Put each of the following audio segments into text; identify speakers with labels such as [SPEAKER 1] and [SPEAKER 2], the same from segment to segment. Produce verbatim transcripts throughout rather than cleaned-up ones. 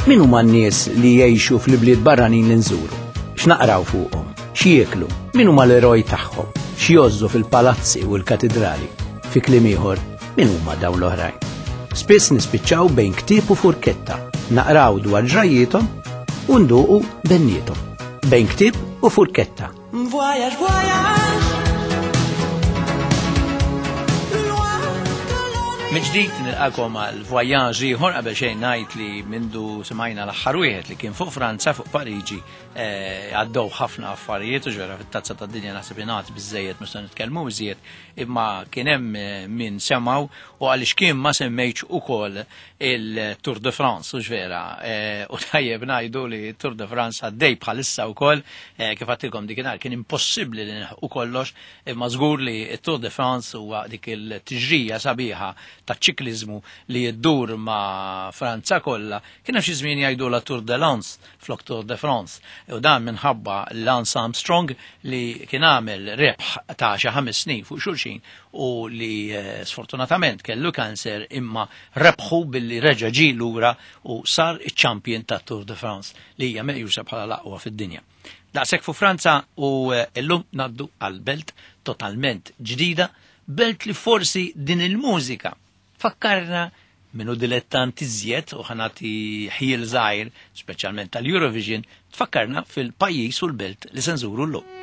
[SPEAKER 1] Min huma n-nies li jgħixu fl-ibliet barranin li nżuru? X'naqraw fuqhom? X'jieklu? Min huma l-eroj tagħhom? X'jgħożżu fil-palazzi u l-katidrali? Fi kliem ieħor, min huma dawn l-oħrajn? Spiss nispiċċaw bejn ktieb u furketta, naqraw dwar ġrajjiethom u nduqu benniethom. Bejn ktieb u furketta.
[SPEAKER 2] Voyage, voyage.
[SPEAKER 1] Mill-ġdid nilqakom għal voyage ieħor. Qabel xejn ngħid li mindu smajna l-aħħar wieħed li kien fuq Franza, fuq Pariġi, eh, għaddew ħafna affarijiet u ġara fit-tazza tad-dinja. Naħseb ingħad biżejjed, mhux se nitkellmu iżjed, imma kien hemm eh, min semgħu u għaliex kien ma semmejtx ukoll il-Tour de France u ġvera. Eh, u tajjeb ngħidu li Tour de France għaddej bħalissa wkoll, kif għedtilkom dikinhar kien impossibbli li nilħqu kollox, imma żgur li Tour de France huwa dik il-tiġrija sabiħa ta' ċikliżmu li jiddur ma' Franza kollha. Kien hemm xi żmien jgħidu la Tour de Lens flok Tour de France. U dan minħabba Lance Armstrong li kien għamel rebħ ta' xi ħames snin fuq xulxin u li eh, sfortunatament kellu kanser, imma rebħu billi reġa' ġie lura u sar iċ-champion ta' Tour de France li hija meqjusa bħala l-aqwa fid-dinja. Daqshekk fuq Franza u eh, llum ngħaddu għal belt totalment ġdida, belt li forsi din il-mużika fakkarna minnu dilettant iżjed u ħa nati ħjiel żgħir, speċjalment tal-Eurovision, tfakkarna fil-pajjiż u l-belt li se nżuru llum.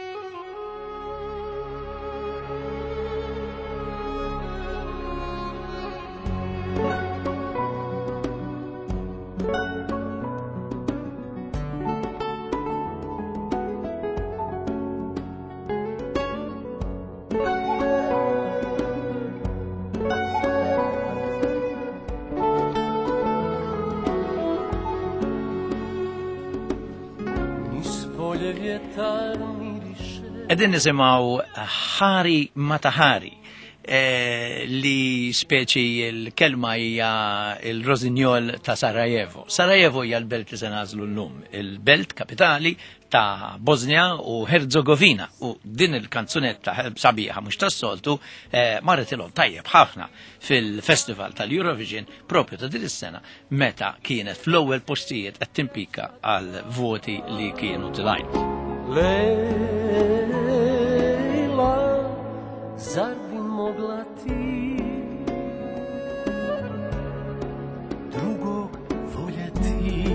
[SPEAKER 1] Qegħdin nisimgħu Hari Matahari, eh, li speċi l-kelma hija il-Rosinjol ta' Sarajevo. Sarajevo hija l-belt li se nagħżlu llum, il-belt kapitali ta' Bosnia u Herzegovina. U din il-kanzunetta sabiħa mhux tas-soltu eh, marret ilhom tajjeb ħafna fil-Festival tal-Eurovision propju ta' din is-sena meta kienet fl-ewwel postijiet qed timpika għal voti li kienu tilgħin.
[SPEAKER 2] Lejla, zar bi mogla ti drugog voljeti?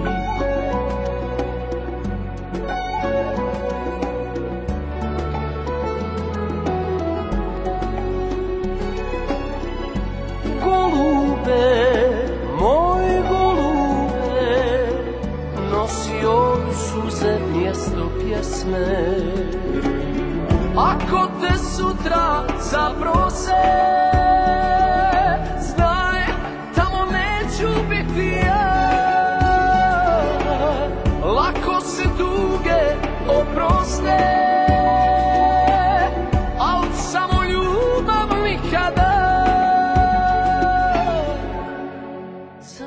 [SPEAKER 2] Golube, moj golube, nosio bi suze mjesto pjesme. Ako te sutra zaprose, znaj, tamo neću biti ja. Lako se tuge oproste, al samo ljubav nikada.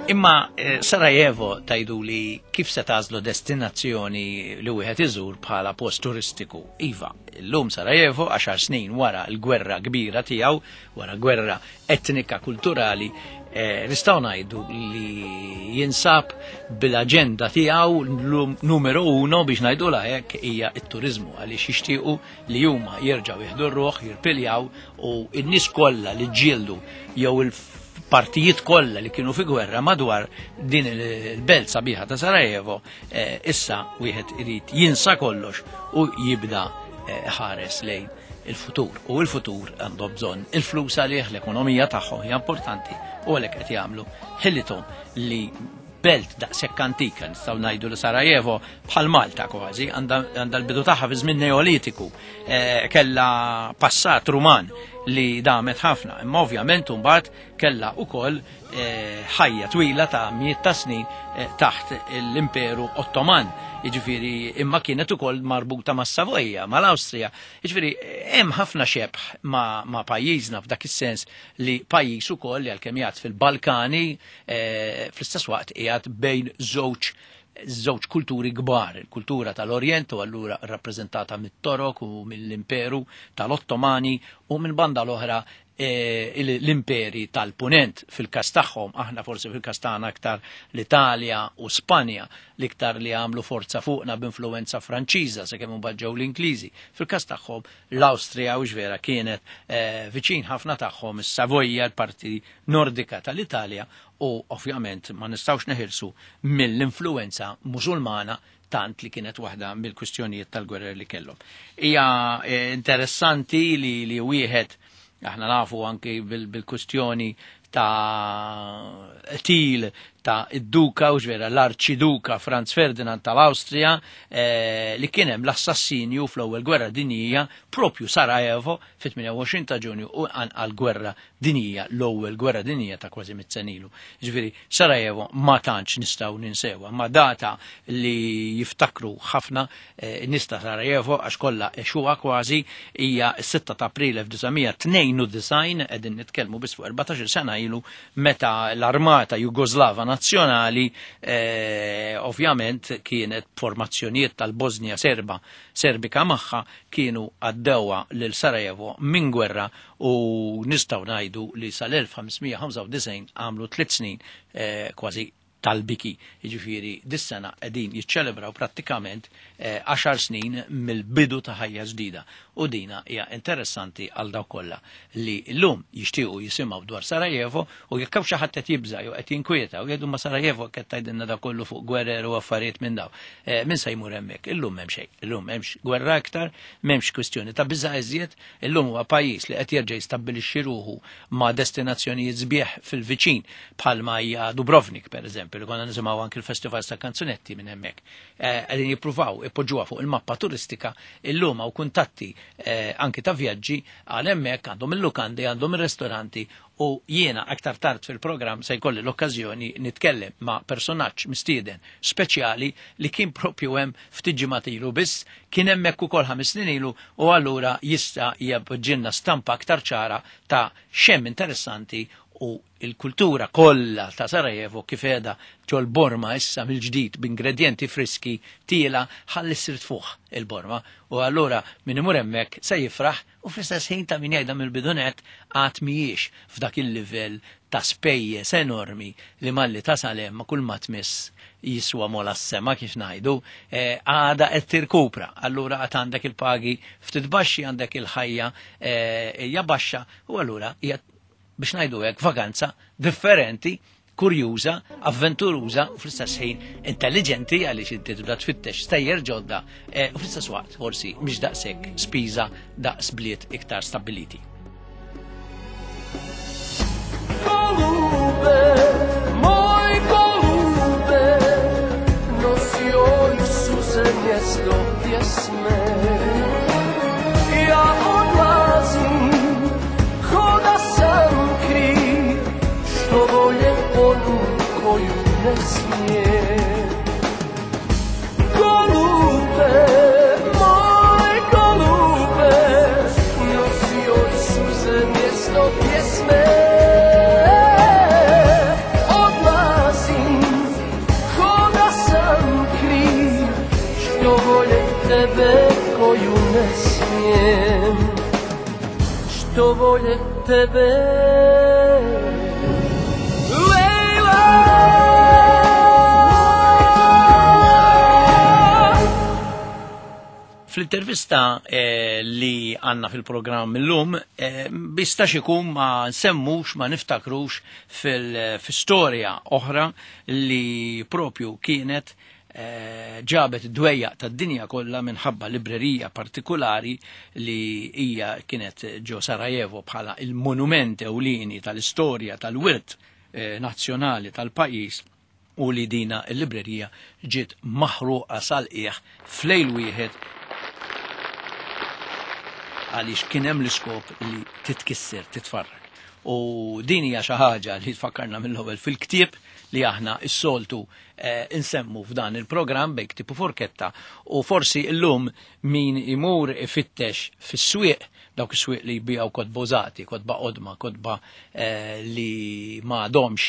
[SPEAKER 1] Imma eh, Sarajevo tgħidu li kif se tagħżlu destinazzjoni li wieħed iżur bħala post turistiku? Iva, llum Sarajevo għaxar snin wara l-gwerra kbira tiegħu, wara gwerra etnika kulturali, eh, nistgħu ngħidu li jinsab bil-aġenda tiegħu llum numero uno biex ngħidu hekk hija t-turiżmu, għaliex jixtiequ li huma jerġgħu jieħdu r-ruħ, jirpiljaw u n-nies kollha li ġġieldu jew il partijiet kollha li kienu fi gwerra madwar din il-belt sabiħa ta' Sarajevo, eh, issa wieħed irid jinsa kollox u jibda eh, ħares lejn il-futur. U il-futur għandhom bżonn il-flus għalih, l-ekonomija tagħhom hija importanti u għalhekk qed jagħmlu ħilithom li belt daqshekk antika, nistgħu ngħidu li Sarajevo bħal Malta kważi, għandha l-bidu tagħha fi żmien Neolitiku, eh, kellha passat Ruman li damet ħafna, imma ovvjament imbagħad kellha wkoll eh, ħajja twila ta' mijiet ta' snin eh, taħt l-Imperu Ottoman, jiġifieri imma kienet ukoll marbuta mas-Savoja, mal-Awstrija. Jiġifieri hemm ħafna xebh ma', ma' pajjiżna f'dak is-sens li pajjiż ukoll li għalkemm qiegħed fil-Balkani, eh, fl-istess waqt qiegħed bejn żewġ żewġ kulturi kbar, il-kultura tal-Orjent u allura rappreżentata mit-Torok u mill-Imperu tal-Ottomani u minn banda l-oħra l-imperi tal-punent fil-kas tagħhom, aħna forsi fil-kas tagħna aktar l-Italja u Spanja l-iktar li għamlu forza fuqna b'influenza Franċiża sakemm imbagħad ġew l-Ingliżi. Fil-kas tagħhom l-Awstrija u vera kienet viċin ħafna tagħhom is-Savoja, l-parti nordika tal-Italja, u ovvjament ma nistgħux neħilsu mill-influenza Musulmana tant li kienet waħda mill-kwistjonijiet tal-gwerra li kellhom. Hija interessanti li li wieħed aħna nafu anki bil-kwistjoni ta' til ta' id-duka, u ġvera l-arċiduka Franz Ferdinand tal-Awstrija, eh, li kien hemm l-assassinju fl-ewwel gwerra dinjija propju Sarajevo fit-tmienja u għoxrin ta' Ġunju u għal gwerra dinjija, l-ewwel gwerra dinjija ta' kważi mitt sena ilu. Ġifieri Sarajevo ma tantx nistgħu ninsewha, ma data li jiftakru ħafna eh, nista Sarajevo għax kollha għexuha kważi hija s-sitta ta' April elf disa' mija tnejn u disgħin, qegħdin nitkellmu biss fuq erbatax-il sena ilu meta l-armata Jugoslava nazzjonali eh, ovvjament kienet formazzjonijiet tal-Bosnia Serba Serbika magħha kienu għaddewha lil Sarajevo minn gwerra, u nistgħu ngħidu li sal-elf ħamsmija ħamsa u disgħin għamlu tliet snin eh, kważi tal-biki. Jiġifieri dis-sena qegħdin jiċċelebraw prattikament, eh, għaxar snin mill-bidu ta' ħajja ġdida. U dina hija interessanti għal dawk kollha li llum jixtiequ jisimgħu dwar Sarajevo, u jekk hawn xi ħadd qed jibża' jew qed jinkwieta u jgħidu ma Sarajevo qed tgħidilna dak kollu fuq gwerer u affarijiet minn daw. Eh, min se jmur hemmhekk? Illum m'hemm xejn. Illum m'hemmx gwerra aktar, m'hemmx kwistjoni ta' biża' iżjed. Illum huwa pajjiż li qed jerġa' jistabbilixxi ruħu ma' destinazzjonijiet sbieħ fil-viċin bħalma hija Dubrovnik pereżempju, li konna nisimgħu anki l-festivals ta' kanzunetti minn hemmhekk. Eh, qegħdin jippruvaw ipoġġuha fuq il-mappa turistika, illum hawn kuntatti, eh, anki ta' vjaġġi għal hemmhekk, għandhom il-lukandi, għandhom ir-ristoranti, u jiena aktar tard fil-programm se jkolli l-okkażjoni nitkellem ma' personaġġ mistieden speċjali li kien propju hemm ftit ġimgħat ilu biss, kien hemmhekk ukoll ħames snin ilu, u allura jista' jibġilna stampa aktar ċara ta' xemm interessanti u il-kultura kollha ta' Sarajevo kif qiegħda ġol-Borma issa mill-ġdid b'ingredjenti friski tiela ħalli ssir tfuħ il-Borma, u allura min imur hemmhekk se jifraħ, u fl-istess ħin ta' min jgħidha mill-bidunet għad mhijiex f'dak il-livell ta' spejjeż enormi li malli tasal hemm ma' kull ma tmiss jiswa mola s-sema kif ngħidu, eh, għada qed tirkupra. Allura għad għandek il-pagi ftit baxxi, għandek il-ħajja, eh, hija baxxa, u allura hija biex ngħidu hekk vakanza differenti, kurjuża, avventuruża u fl-istess ħin intelligenti għaliex inti tibda tfittex stejjer ġodda, eh, u fl-istess waqt forsi mhix daqshekk spiża daqs bliet iktar stabbiliti.
[SPEAKER 2] Golube, moj golube, nosio suze mjesto pjesme. Ja odlazim, ko da sam kriv, što volje onu koju ne smije. Golube, moj golube, nosio suze mjesto pjesme. Odlazim, ko da sam kriv, što volje tebe koju ne smijem. Što volje tebe.
[SPEAKER 1] Fl-intervista, eh, li għanna fil-programm illum, eh, bistax ikun ma nsemmux, ma niftakrux fil-, fil-storja oħra li propju kienet, eh, ġabet dwejja tad-dinja kollha minħabba librerija partikolari li hija kienet ġo Sarajevo bħala il-monument ewlieni tal-istorja tal-wirt, eh, nazzjonali tal-pajjiż, u li dina l-librerija ġiet maħruqa sal-qiegħ f'lejl wieħed għaliex kien hemm l-iskop li titkisser, titfarrak. U din hija xi ħaġa li tfakkarna mill-ewwel fil-ktieb li aħna s-soltu, eh, insemmu f'dan il-programm bejn ktieb u forketta, u forsi llum min imur ifittex fis-swieq Dawk is-swieq li jbijaw kotba użati, kotba qodma, kotba eh, li ma għadhomx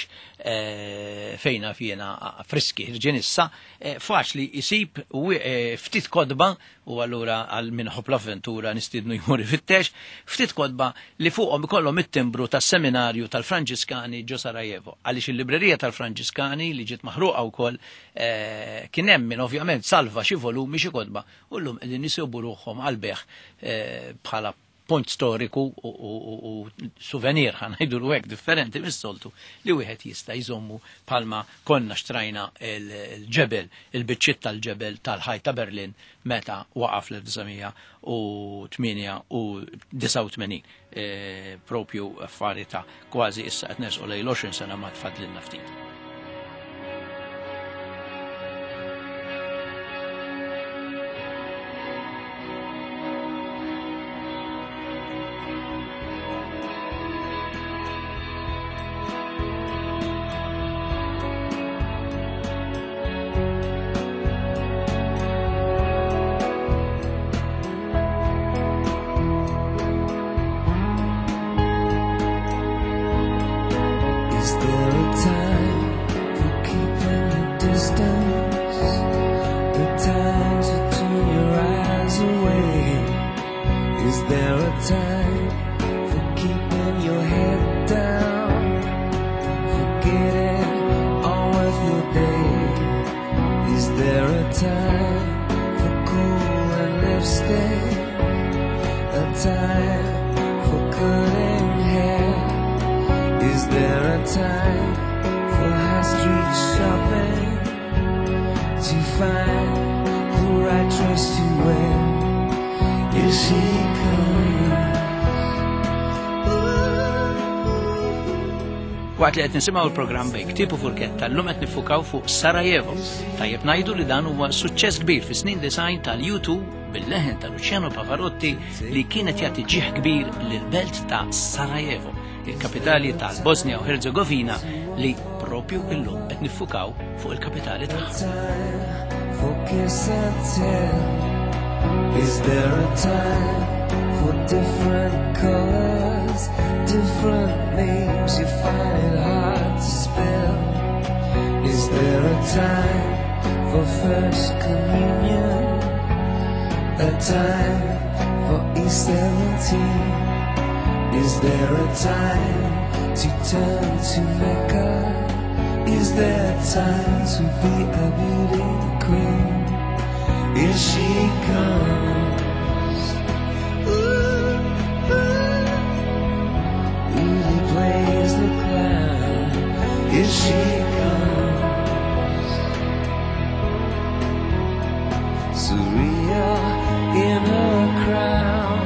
[SPEAKER 1] eh, fejna fjena friski ħirġin issa, eh, faċli jisib ftit kotba, u allura għal min iħobb l-avventura nistiednu jmur ifittex, ftit kotba li fuqhom ikollhom it-timbru tas-seminarju tal-Franġiskani ġo Sarajevo. Għaliex il-librerija tal-Franġiskani li ġiet maħruqa wkoll kien hemm min ovvjament salva xi volumi xi kotba u llum qegħdin isibu ruħhom għal bejgħ bħala punt storiku u, u, u souvenir ħa ngħidu hekk differenti mis-soltu li wieħed jista' jżommu palma konna xtrajna il-ġebel, il-biċċiet tal-ġebel tal-ħajt ta' Berlin meta waqa' fl-elf disa' mija u tmienja u disgħa u tmenin. E, propju affari ta' kważi issa qed nersqu lejn l-għoxrin sena ma tfadlilna ftit. Waqt li qed nisimgħu l-programm Bejn Ktieb u Furketta llum qed nifukaw fuq Sarajevo. Tajjeb ngħidu li dan huwa suċċess kbir fis-snin design tal-U two bil-leħen ta' Luciano Pavarotti li kienet jagħti ġieħ kbir lill-belt ta' Sarajevo, il-kapitali tal-Bosnia u Herzegovina li propju illum qed nifukaw fuq il-kapitali tagħha.
[SPEAKER 2] Is there a time for different colors, different names you find it hard to spell? Is there a time for first communion? A time for E seventeen? Is there a time to turn to Mecca? Is there time to be a beauty queen? Here she comes. Ooh, ooh. Beauty plays the clown. Here she comes. Surreal in her crown.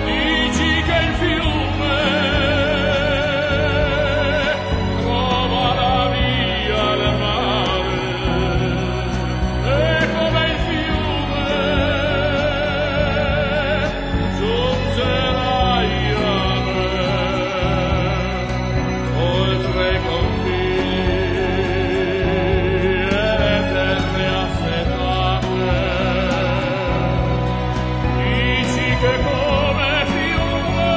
[SPEAKER 3] Dici che il fiume trova la via al mare, e come il fiume giungerai a me, oltre i confini e le terre assetate. Dici che come fiume,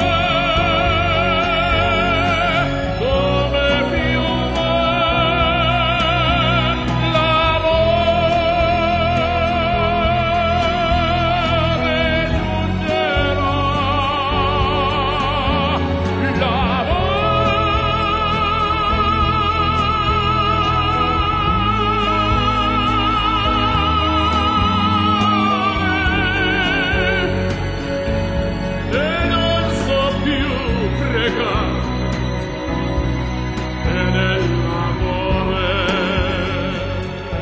[SPEAKER 3] come fiume, l'amore giungerà, l'amore. E non so più pregare, e nell'amore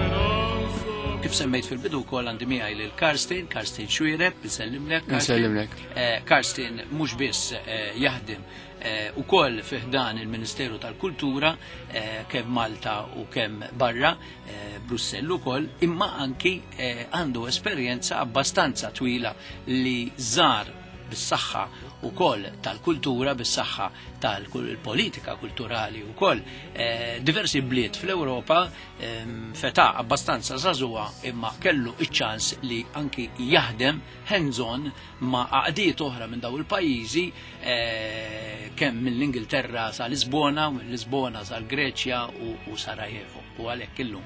[SPEAKER 3] non so
[SPEAKER 1] Kif semmejt fil-bidu wkoll għandi miegħi lil Karsten, Karsten Xuereb, insellimlek, Karsten.
[SPEAKER 4] Insellimlek.
[SPEAKER 1] Eh, Karsten mhux biss, eh, jaħdem, eh, ukoll fi ħdan il-Ministeru tal-Kultura, eh, kemm Malta u kemm barra, eh, Brussell ukoll, imma anki, eh, għandu esperjenza abbastanza twila li żar bis-saħħa ukoll tal-kultura, bis-saħħa tal-politika kulturali wkoll eh, diversi bliet fl-Ewropa ehm, feta abbastanza żagħżugħa imma kellu iċ-ċans li anki jaħdem hands-on ma' għaqdiet oħra minn daw il-pajjiżi eh, kemm mill-Ingilterra sa Lisbona, minn Lisbona sa l-Greċja u, u Sarajevo. U għalhekk illum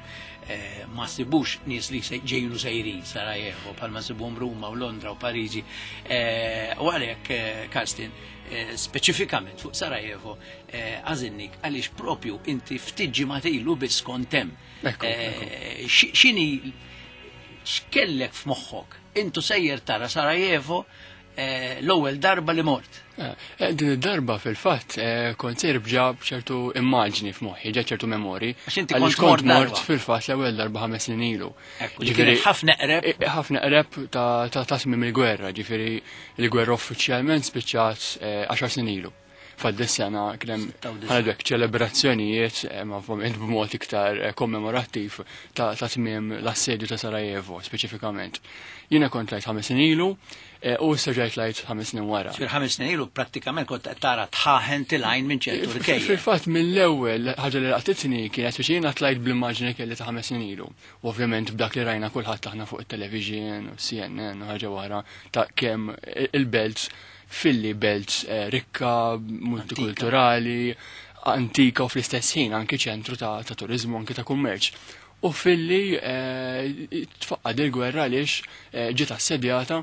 [SPEAKER 1] eh, ma sibux nies li se- ġejjin u sejrin Sarajevo bħalma sibuhom Ruma u Londra u Pariġi. Eh, U għalhekk eh, Karsten, eh, speċifikament fuq Sarajevo eh, għażilnik għaliex propju inti ftit ġimgħat ilu biss kont hemm.
[SPEAKER 4] Ekku,
[SPEAKER 1] Eh, xi- X'inhi x'kellek f'moħħok? Intu sejjer tara Sarajevo eh, l-ewwel darba li mort.
[SPEAKER 4] Eh, eh, Din id-darba fil-fatt eh, kont sejr bġa b'ċertu immaġni f'moħħi, ġa ċertu memori.
[SPEAKER 1] Għax inti
[SPEAKER 4] Għaliex
[SPEAKER 1] kont mort
[SPEAKER 4] kont mort
[SPEAKER 1] darba.
[SPEAKER 4] fil-fatt l-ewwel darba ħames snin ilu.
[SPEAKER 1] Ekku, li kienet ħafna eqreb.
[SPEAKER 4] Eh, ħafna eqreb ta' ta' ta' tmiem il-gwerra, ġifieri il-gwerra uffiċjalment spiċċat eh, għaxar snin ilu. Fad sena kien hemm
[SPEAKER 1] Sitta u disgħin.
[SPEAKER 4] ħanedwek ċelebrazzjonijiet eh, ma ovvjament b'mod iktar eh, kommemorattiv ta' ta' tmiem l-assedju ta' Sarajevo speċifikament. Jiena kont tlajt ħames snin ilu eh, u issa ġejt tlajt ħames snin wara.
[SPEAKER 1] Fir ħames snin ilu prattikament kont qed tara dħaħen telgħin minn ċertu rkejjen.
[SPEAKER 4] Fil-fatt mill-ewwel ħaġa li laqtitni kienet biex jiena tlajt bl-immaġni kelli ta' ħames snin ilu. U ovvjament b'dak li rajna kulħadd aħna fuq it-television u C N N u ħaġa wara ta' kemm il-belt filli belt eh, rikka, multikulturali, antika u fl-istess ħin anki ċentru ta', ta' turizmu, anki ta' kummerċ. U filli eh, tfaqqad il-gwerra għaliex eh, ġiet assedjata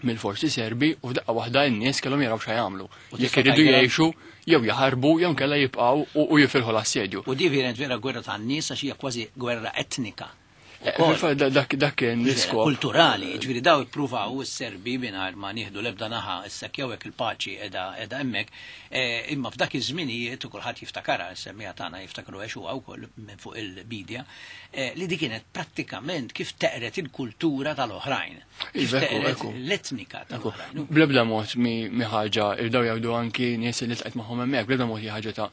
[SPEAKER 4] mill-forzi Serbi u f'daqqa waħda n-nies kellhom jaraw xa jagħmlu.
[SPEAKER 1] U
[SPEAKER 4] Jekk
[SPEAKER 1] tista'
[SPEAKER 4] iridu
[SPEAKER 1] tgħidilha-
[SPEAKER 4] jgħixu jew jaħarbu jew nkella jibqgħu u, u jifilħu l-assedju.
[SPEAKER 1] U di verament vera gwerra tan-nies għax hija kważi gwerra etnika.
[SPEAKER 4] Eh,
[SPEAKER 1] Ukoll.
[SPEAKER 4] Fil-fatt da- dak dak kien l-iskop.
[SPEAKER 1] Kulturali, ġifieri daw ippruvaw is-Serbi mingħajr ma nieħdu l-ebda naħa issa jew hekk il-paċi qiegħda qiegħda hemmhekk, eh, imma f'dak iż-żminijiet u kulħadd jiftakarha, is-semmija tagħna jiftakru għexuha wkoll minn fuq il-bidja, eh, li di kienet prattikament kif teqret il-kultura tal-oħrajn. Kif
[SPEAKER 4] Iva, ekku,
[SPEAKER 1] teqret
[SPEAKER 4] ekku.
[SPEAKER 1] l-etnika tal-oħrajn.
[SPEAKER 4] Bl-ebda mod mi mi ħaġa irdaw jgħidu anki nies li ltqajt magħhom hemmhekk, bl-ebda mod hi ħaġa ta'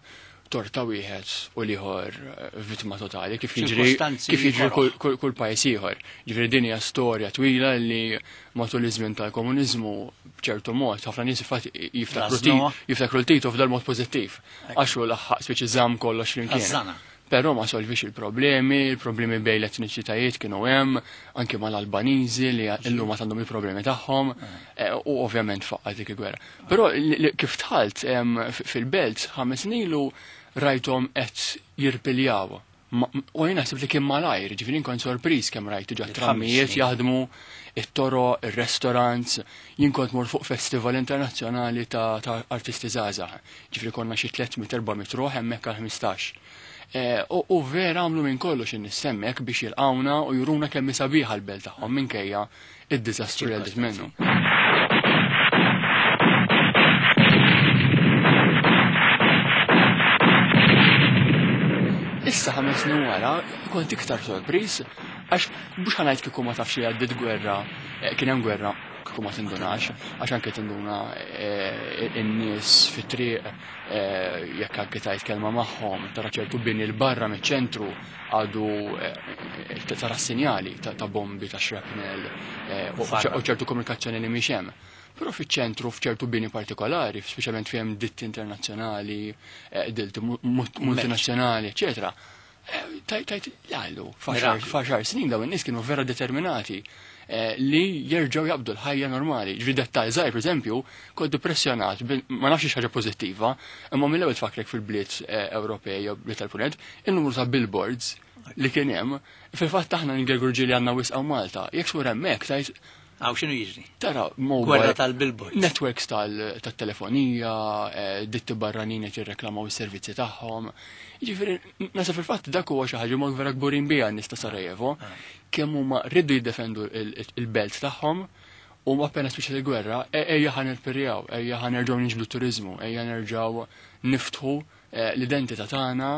[SPEAKER 4] torta wieħed u l-ieħor eh, vittma totali kif jiġri
[SPEAKER 1] Ċirkostanzi
[SPEAKER 4] kif jiġri
[SPEAKER 1] koroh.
[SPEAKER 4] kull, kull, kull pajjiż ieħor. Ġifieri din hija storja twila li matul iż-żmien tal-komuniżmu b'ċertu mod ħafna nies infatti jiftakru
[SPEAKER 1] Rażnuha.
[SPEAKER 4] ti- jiftakru l-Tito f'dal mod pożittiv. Għax hu laħħaq speċi żamm kollox flimkien.
[SPEAKER 1] Rażżana.
[SPEAKER 4] Però ma solvix il-problemi, il-problemi bejn l-etniċitajiet kienu hemm, anke mal-Albaniżi li illum ma għandhom il-problemi tagħhom, eh, u ovvjament faqqat dik il-gwerra. Però li- li- kif dħalt em, f- fil-belt ħames snin ilu rajthom qed jirpiljaw. Ma- U jien naħseb li kien malajr, ġifieri kont sorpriż kemm rajt diġà
[SPEAKER 1] Ħames
[SPEAKER 4] trammijiet
[SPEAKER 1] snin.
[SPEAKER 4] jaħdmu, it-toro, ir-restaurants, jien kont mor fuq festival internazzjonali ta', ta' artisti żgħażagħ. Ġifieri konna xi tliet mitt erba' mitt ruħ hemmhekk għal ħmistax. Eh, U u vera għamlu minn kollox in-nies hemmhekk biex jilqawna u juruna kemm hi sabiħa l-belt tagħhom minkejja id-diżastru li għaddit minnu. Issa ħames snin wara kont iktar sorpriż għax mhux ħa ngħid kieku ma tafx li għaddiet gwerra, eh, kien hemm gwerra kieku ma tindunax, għax anke tinduna eh, in-nies fit-triq eh, jekk anke tajt kelma magħhom, tara ċertu bini 'l barra miċ-ċentru għadu eh, tara sinjali ta' ta' bombi, ta' shrapnel eh, u
[SPEAKER 1] Farra.
[SPEAKER 4] u ċertu komunikazzjoni li mhix hemm. Però fiċ-ċentru f'ċertu bini partikolari, speċjalment fejn ditti internazzjonali, eh, ditti mu- mu- multinazzjonali, eccetera. Eh, Tajt, tajt, jallu,
[SPEAKER 1] Miraklu.
[SPEAKER 4] f'għaxar snin dawn in-nies kienu vera determinati eh, li jerġgħu jaqbdu l-ħajja normali. Ġifieri dettal żgħir, pereżempju, kont impressjonat, bil- ma nafx xi ħaġa pożittiva, imma mill-ewwel tfakrek fil-bliet eh, Ewropej jew bliet tal-Punent, il-numru ta' billboards li kien hemm, fil-fatt aħna ngergurġi li għandna wisq Malta. Jekk xur hemmhekk tajt
[SPEAKER 1] Għaw x'inhu jiġri?
[SPEAKER 4] tara mobile
[SPEAKER 1] Gwerra tal-billboards.
[SPEAKER 4] Networks tal- tat-telefonija, eh, ditti barranin qed jirreklamaw is-servizzi tagħhom. Jiġifieri naħseb fil-fatt dak huwa xi ħaġa ma vera kburin biha n-nies ta' Sarajevo, kemm huma rridu jiddefendu il- il-belt tagħhom u ma appena spiċċat il-gwerra, e- ejja ħa nirpirjaw, ejja ħa nerġgħu niġbdu turiżmu, ejja nerġgħu niftħu eh, l-identità tagħna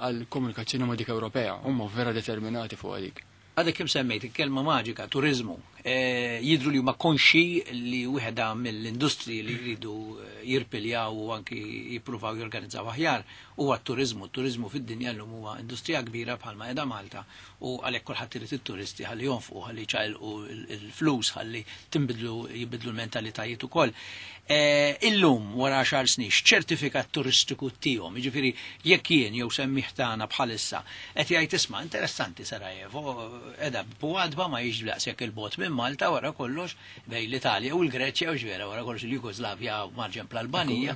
[SPEAKER 4] għall-komunikazzjoni ma' dik Ewropea. Huma vera determinati fuq dik.
[SPEAKER 1] Għadek kim semmejt il-kelma maġika, turizmu. Eh, jidru li huma konxi li wieħeda mill-industri li jridu eh, jirpiljaw u anki jippruvaw jorganizzaw aħjar huwa t-turizmu. T-turizmu fid-dinja llum huwa industrija kbira bħalma qiegħda Malta u għalhekk kulħadd irid it-turisti ħalli jonfqu, ħalli ċaqilqu il-flus, ħalli tinbidlu jibidlu l-mentalitajiet ukoll. Eh, illum wara għaxar snin x'ċertifikat turistiku tihom, jiġifieri jekk jien jew semmih tagħna bħalissa qed jgħid isma' interessanti Sarajevo, qiegħda b'għadba ma jiġ daqshekk il-bot minn Malta wara kollox bejn l-Italja u l-Greċja u ġvera wara kollox il-Jugoslavja u marġen l-Albanija.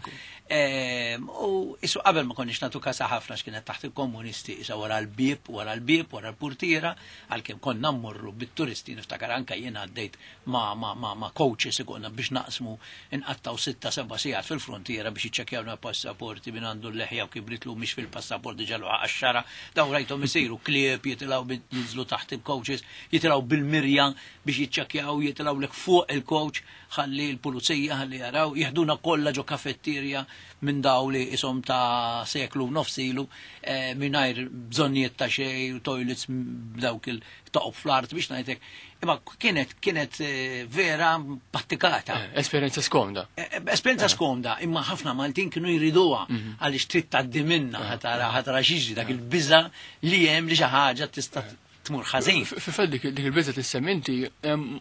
[SPEAKER 1] U isu qabel ma konniex nagħtu kasa ħafna x'kienet taħt il-komunisti, isa wara l-bieb, wara l-bieb, wara l-purtiera, għalkemm konna mmorru bit-turisti, niftakar anka jien għaddejt ma' ma' ma' ma' coaches ikonna biex naqsmu inqattaw sitta seba' sigħat fil-frontiera biex jiċċekkjawna passaporti minn għandu l-leħja u kibritlu mhix fil-passaport diġà għax-xara, daw rajthom isiru klieb jitilgħu jinżlu taħt il-coaches, jitilgħu bil-mirja biex jiċċekkjaw, jitilgħu lek fuq il-coach ħalli l-pulizija ħalli jaraw, jeħduna kollha ġo kafetterja minn daw li isom ta' seklu nofsilu eh, mingħajr bżonnijiet ta' xejn u toilets b'dawk il-toqob fl-art biex ngħidlek. Imma kienet kienet eh, vera pattikata.
[SPEAKER 4] Eh, esperjenza skomda.
[SPEAKER 1] Esperjenza skomda, imma ħafna Maltin kienu jriduha għaliex trid tgħaddi minnha ħatara ħatara xiġri dak il-biża' li hemm li xi ħaġa tista' tmur ħażin.
[SPEAKER 4] Fil-fatt dik dik il-biża tissemmi inti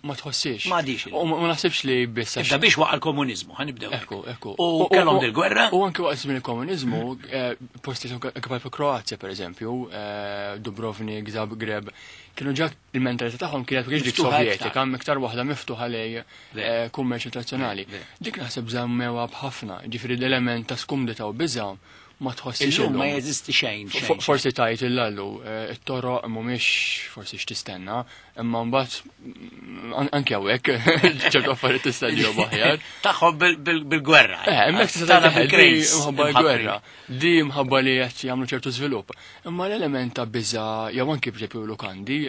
[SPEAKER 4] ma tħossix.
[SPEAKER 1] Ma għadix.
[SPEAKER 4] U ma naħsibx li biss.
[SPEAKER 1] Ibda biex waqa' l-komuniżmu, ħa nibdew.
[SPEAKER 4] Ekku, ekku.
[SPEAKER 1] U kellhom dil-gwerra.
[SPEAKER 4] U anke waqt żmien il-komuniżmu, posti kif Kroazja per eżempju, Dubrovnik, Zagreb, kienu ġa il-mentalità tagħhom kienet biex dik Sovjetika, iktar waħda miftuħa lej kummerċ internazzjonali. Dik naħseb żammewa b'ħafna, ġifieri l-element ta' skumdità u biża' ma tħossix.
[SPEAKER 1] Illum ma jeżisti xejn.
[SPEAKER 4] Forsi tajt il-lallu, it-toroq mhumiex forsi x'tistenna, imma mbagħad anke hawnhekk ċertu affarijiet tista' ġew aħjar.
[SPEAKER 1] Tagħhom bil-gwerra.
[SPEAKER 4] Eh, hemmhekk tista' tgħid mħabba l-gwerra. Di mħabba li qed jagħmlu ċertu żvilupp. Imma l-element ta' biża' jew anke b'eżempju lukandi,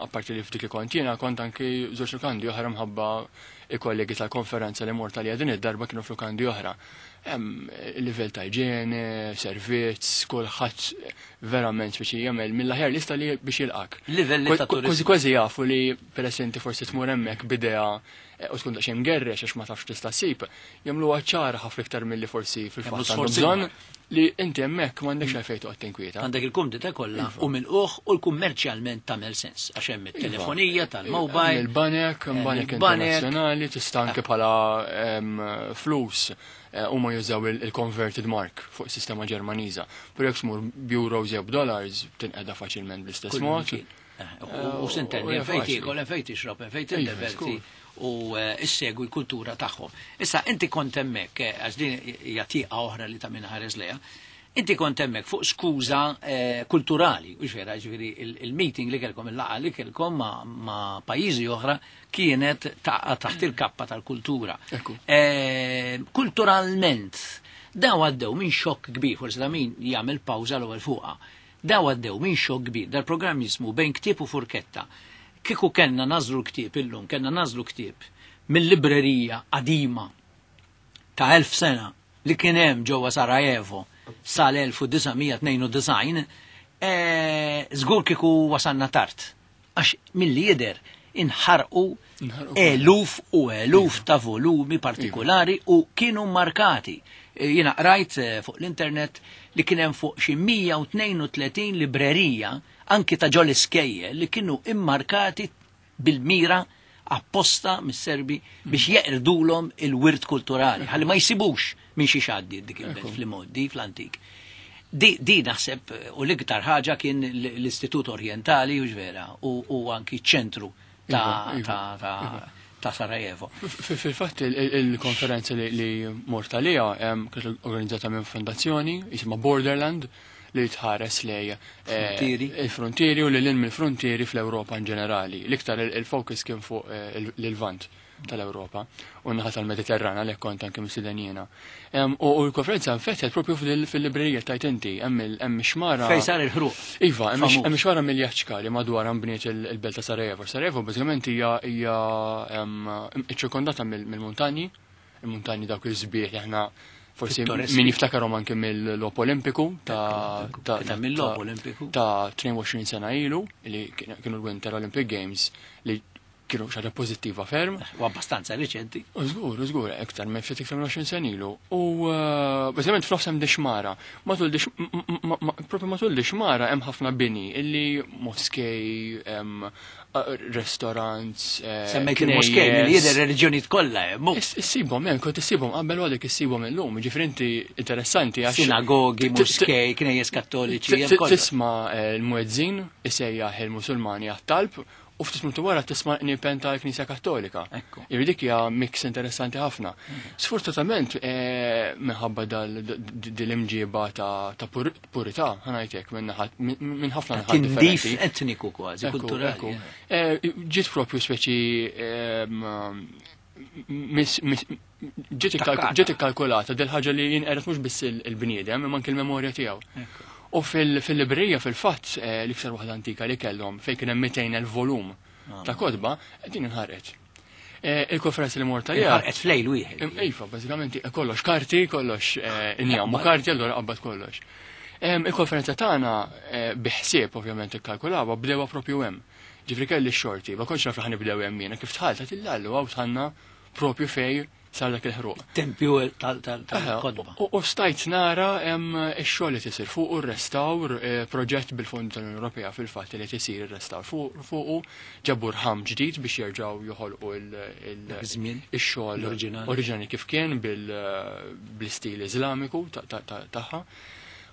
[SPEAKER 4] apparti li f'dik li kont jiena kont anke żewġ lukandi oħra mħabba il-kollegi tal-konferenza li mort għalija din id-darba kienu f'lukandi oħra. Hemm livell ta' iġene, servizz, kulħadd verament biex jagħmel mill-aħjar lista li biex jilqak.
[SPEAKER 1] Livelli ta'
[SPEAKER 4] Kważi
[SPEAKER 1] turizmu.
[SPEAKER 4] kważi jafu li peress inti forsi tmur hemmhekk b'idea u tkun daqsxejn mgerrex għax ma tafx tista' ssib, jagħmluha ċara ħafna iktar milli forsi fil-fatt
[SPEAKER 1] Jagħmlu
[SPEAKER 4] għandhom
[SPEAKER 1] sforzi
[SPEAKER 4] bżonn
[SPEAKER 1] kbar.
[SPEAKER 4] li inti hemmhekk m'għandekx għalfejn toqgħod tinkwieta.
[SPEAKER 1] Għandek il-kumdità kollha u mill-uħ u l-kummerċjalment tagħmel sens għax hemm it-telefonija tal-mobile.
[SPEAKER 4] Il-banek, banek
[SPEAKER 1] il-banek.
[SPEAKER 4] internazzjonali, tista' anke bħala em, flus eh, huma jużaw il-converted mark fuq sistema Ġermaniża. Però jekk tmur b'euros jew b'dollars tinqeda faċilment bl-istess
[SPEAKER 1] Kull
[SPEAKER 4] mod.
[SPEAKER 1] imkien. Eh, U u s'intendi,
[SPEAKER 4] U hija
[SPEAKER 1] fejn
[SPEAKER 4] faċli.
[SPEAKER 1] tiekol, fejn tixrob, fejn
[SPEAKER 4] Iva,
[SPEAKER 1] tindeverti
[SPEAKER 4] żgur.
[SPEAKER 1] u eh, issegwi l-kultura tagħhom. Issa inti kont hemmhekk, eh, għax din hija tieqa oħra li ta' min ħares lejha, inti kont hemmhekk fuq skuża eh, kulturali, u vera, ġifieri il-meeting li kellkom, il-laqgħa li kellkom ma', ma' pajjiżi oħra kienet ta' taħt il-kappa tal-kultura.
[SPEAKER 4] Ekku.
[SPEAKER 1] Eh, kulturalment, daw għaddew minn xokk kbir, forsi da min jagħmel pawża l-ewwel fuqha. Daw għaddew minn xokk kbir, dal-programm jismu Bejn Ktieb u Furketta. Kieku kellna nażlu l-ktieb illum, kellna nażlu ktieb mill-librerija qadima ta' elf sena li kien hemm ġewwa Sarajevo sal-elf u disa' mija tnejn u disgħin, eh, żgur kieku wasalna tard. Għax milli jidher inħarqu
[SPEAKER 4] Inħarqu
[SPEAKER 1] eluf u eluf ta' volumi partikolari u kienu markati. Eh, Jiena qrajt eh, fuq l-internet li kien hemm fuq xi mija u tnejn u tletin librerija anki ta' ġol iskejjel li kienu immarkati bil-mira apposta mis-Serbi biex jeqrdulhom il-wirt kulturali, ħalli ma jsibux minn xi xaddi dik il-belt fl-imoddi, fl-antik. Di, di naħseb eh, u l-iktar ħaġa kien l- l-Istitut Orientali u ġvera u, u anki ċentru ta'
[SPEAKER 4] Iva, iva,
[SPEAKER 1] ta' ta' ta' Sarajevo.
[SPEAKER 4] F- Fil-fatt il- il- il-konferenza li, li mort għalija em, kienet organizzata minn fondazzjoni jisimha Borderland li tħares lej eh,
[SPEAKER 1] Frontieri.
[SPEAKER 4] il-frontieri u lil mill-frontieri fl-Ewropa in ġenerali. L-iktar il- il-focus kien fuq eh, il- l-Lvant tal-Ewropa u naħa tal-Mediterran għalhekk kont anke mistieden jiena. Em, U u l-konferenza nfetħet propju fil- fil-librerija tajt inti, hemm il- hemm xmara.
[SPEAKER 1] Fej sar il-ħruq.
[SPEAKER 4] Iva, hemm
[SPEAKER 1] Famuż.
[SPEAKER 4] hemm xmara Miljacka li madwar nbniet il- il-belt ta' Sarajevo. Sarajevo bażikament hija hija em, iċċirkondata mill- mill-muntanji, il-muntanji dawk il-sbieħ li aħna forsi
[SPEAKER 1] Pittoreski.
[SPEAKER 4] min jiftakarhom anke mill-Logħob Olimpiku ta' ta'
[SPEAKER 1] Kien hemm il-Logħob Olimpiku.
[SPEAKER 4] ta' tnejn u għoxrin sena ilu li kienu l-Winter Olympic Games li kienu xi ħaġa pożittiva ferm.
[SPEAKER 1] U abbastanza riċenti.
[SPEAKER 4] U żgur, żgur, iktar minn ftit iktar minn għoxrin sena ilu. U eh, bażikament f'nofs hemm dixmara. Matul dix propju matul dixmara hemm ħafna bini illi moskej, hemm eh, restaurants, eh,
[SPEAKER 1] Semmejt il-moskej
[SPEAKER 4] knejjes.
[SPEAKER 1] milli jidher reliġjonijiet kollha hemm.
[SPEAKER 4] Is- Issibhom hemm, kont issibhom qabel u għadek issibhom illum, ġifieri inti interessanti għax
[SPEAKER 1] Sinagogi,
[SPEAKER 4] t- t-
[SPEAKER 1] moskej, knejjes kattoliċi, hemm
[SPEAKER 4] t-
[SPEAKER 1] kollox.
[SPEAKER 4] Tisma' eh, l-muezzin isejjaħ il-Musulmani għat-talb u ftit minuti wara tisma' qniepen tal-Knisja Kattolika.
[SPEAKER 1] Ekku.
[SPEAKER 4] Jiġifieri dik hija mix interessanti ħafna. Sfortunatament eh, minħabba dal dil-imġiba ta' ta' pur- purità, ħa ngħidlek minn naħat- minn minn ħafna naħat
[SPEAKER 1] Tindif
[SPEAKER 4] differenti.
[SPEAKER 1] etniku kważi,
[SPEAKER 4] Ekku,
[SPEAKER 1] kulturali.
[SPEAKER 4] ekku. Eh, Ġiet propju speċi ehm, mis- mis- ġiet ikkalk-
[SPEAKER 1] Takkata.
[SPEAKER 4] ġiet ikkalkulata del ħaġa li jinqeret mhux biss il- il-bniedem imma anke l-memorja tiegħu. U fil- fil-librerija fil-fatt eh, l-iktar waħda antika li kellhom fejn kien hemm mitejn elf volum ta' kotba, din inħarqet. Eh, Il-konferenza li mort għaliha
[SPEAKER 1] Inħarqet flejl wieħed.
[SPEAKER 4] Im- Iva, bażikament eh, kollox karti, kollox eh, injam u karti, allura qabad kollox. Em, Il-konferenza tagħna eh, biħsieb ovvjament ikkalkulawha bdewha propju hemm. Ġifri kelli x-xorti, ma kontx naf li ħanibdew hemm jiena, kif dħalt illallu hawn dħalna propju fej sar dak il-ħruq.
[SPEAKER 1] Tempju tal- tal-
[SPEAKER 4] Aha,
[SPEAKER 1] tal-kotba.
[SPEAKER 4] U u stajt nara hemm ix-xogħol li tisir fuq u r-restawr, eh, proġett bil-Fond tal-Unjoni Ewropea fil-fatt li tisir ir-restawr fuq fuqu ġabu rħam ġdid biex jerġgħu joħolqu il- il-
[SPEAKER 1] Dak iż-żmien,
[SPEAKER 4] ix-xogħol
[SPEAKER 1] l-oriġinali.
[SPEAKER 4] oriġinali kif kien bil- bl-istil Iżlamiku ta- ta- ta- tagħha.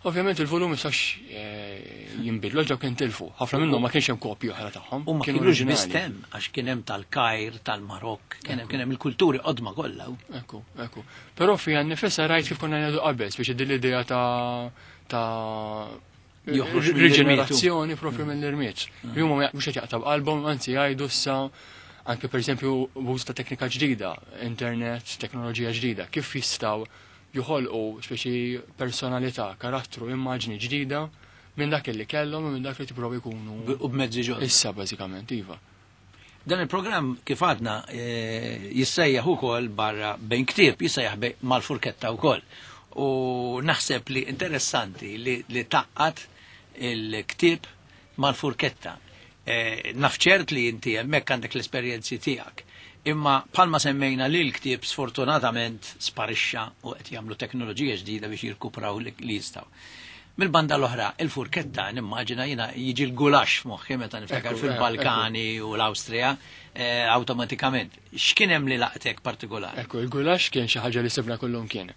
[SPEAKER 4] Ovvjament il-volum jistax eh, jinbidlu, ġew kien tilfu. Ħafna minnhom ma kienx hemm kopji oħra tagħhom.
[SPEAKER 1] U ma
[SPEAKER 4] kienu
[SPEAKER 1] kienux
[SPEAKER 4] oriġinali.
[SPEAKER 1] biss hemm, għax kien hemm tal-Kajr, tal-Marokk, kien hemm kien hemm il-kulturi qodma kollha.
[SPEAKER 4] Ekku, ekku. Però fija nifisha rajt kif konna ngħidu qabel, speċi din l-idea ta' ta'
[SPEAKER 1] Joħroġ mill-irmiet.
[SPEAKER 4] riġenerazzjoni propju mill-irmiet. Li huma mhux qed jaqta' b'qalbhom, anzi jgħidu issa anke pereżempju b'użu ta' teknika ġdida, internet, teknoloġija ġdida, kif jistgħu joħolqu speċi personalità, karattru, immaġni ġdida minn dak li kellhom u minn dak li tipprovi jkunu
[SPEAKER 1] U b'mezzi ġodda.
[SPEAKER 4] issa bażikament, iva.
[SPEAKER 1] Dan il-programm kif għadna eh, jissejjaħ ukoll barra bejn ktieb, jissejjaħ bej- mal-furketta wkoll. U naħseb li interessanti li, li taqqat il-ktieb mal-furketta. Eh, naf ċert li inti hemmhekk għandek l-esperjenzi tiegħek. Imma palma semmejna li l-ktieb sfortunatament sparixxa u qed jagħmlu teknoloġija ġdida biex jirkupraw li li jistgħu. Mil-banda l-oħra, il-furketta, nimmaġina jina jiġi l-gulax f'moħħi meta niftakar
[SPEAKER 4] Ekku,
[SPEAKER 1] fil-Balkani u l-Awstrija, eh, awtomatikament. X'kien hemm li laqtek partikolari?
[SPEAKER 4] Ekku, il-gulax kien xi ħaġa li sibna kullum kien.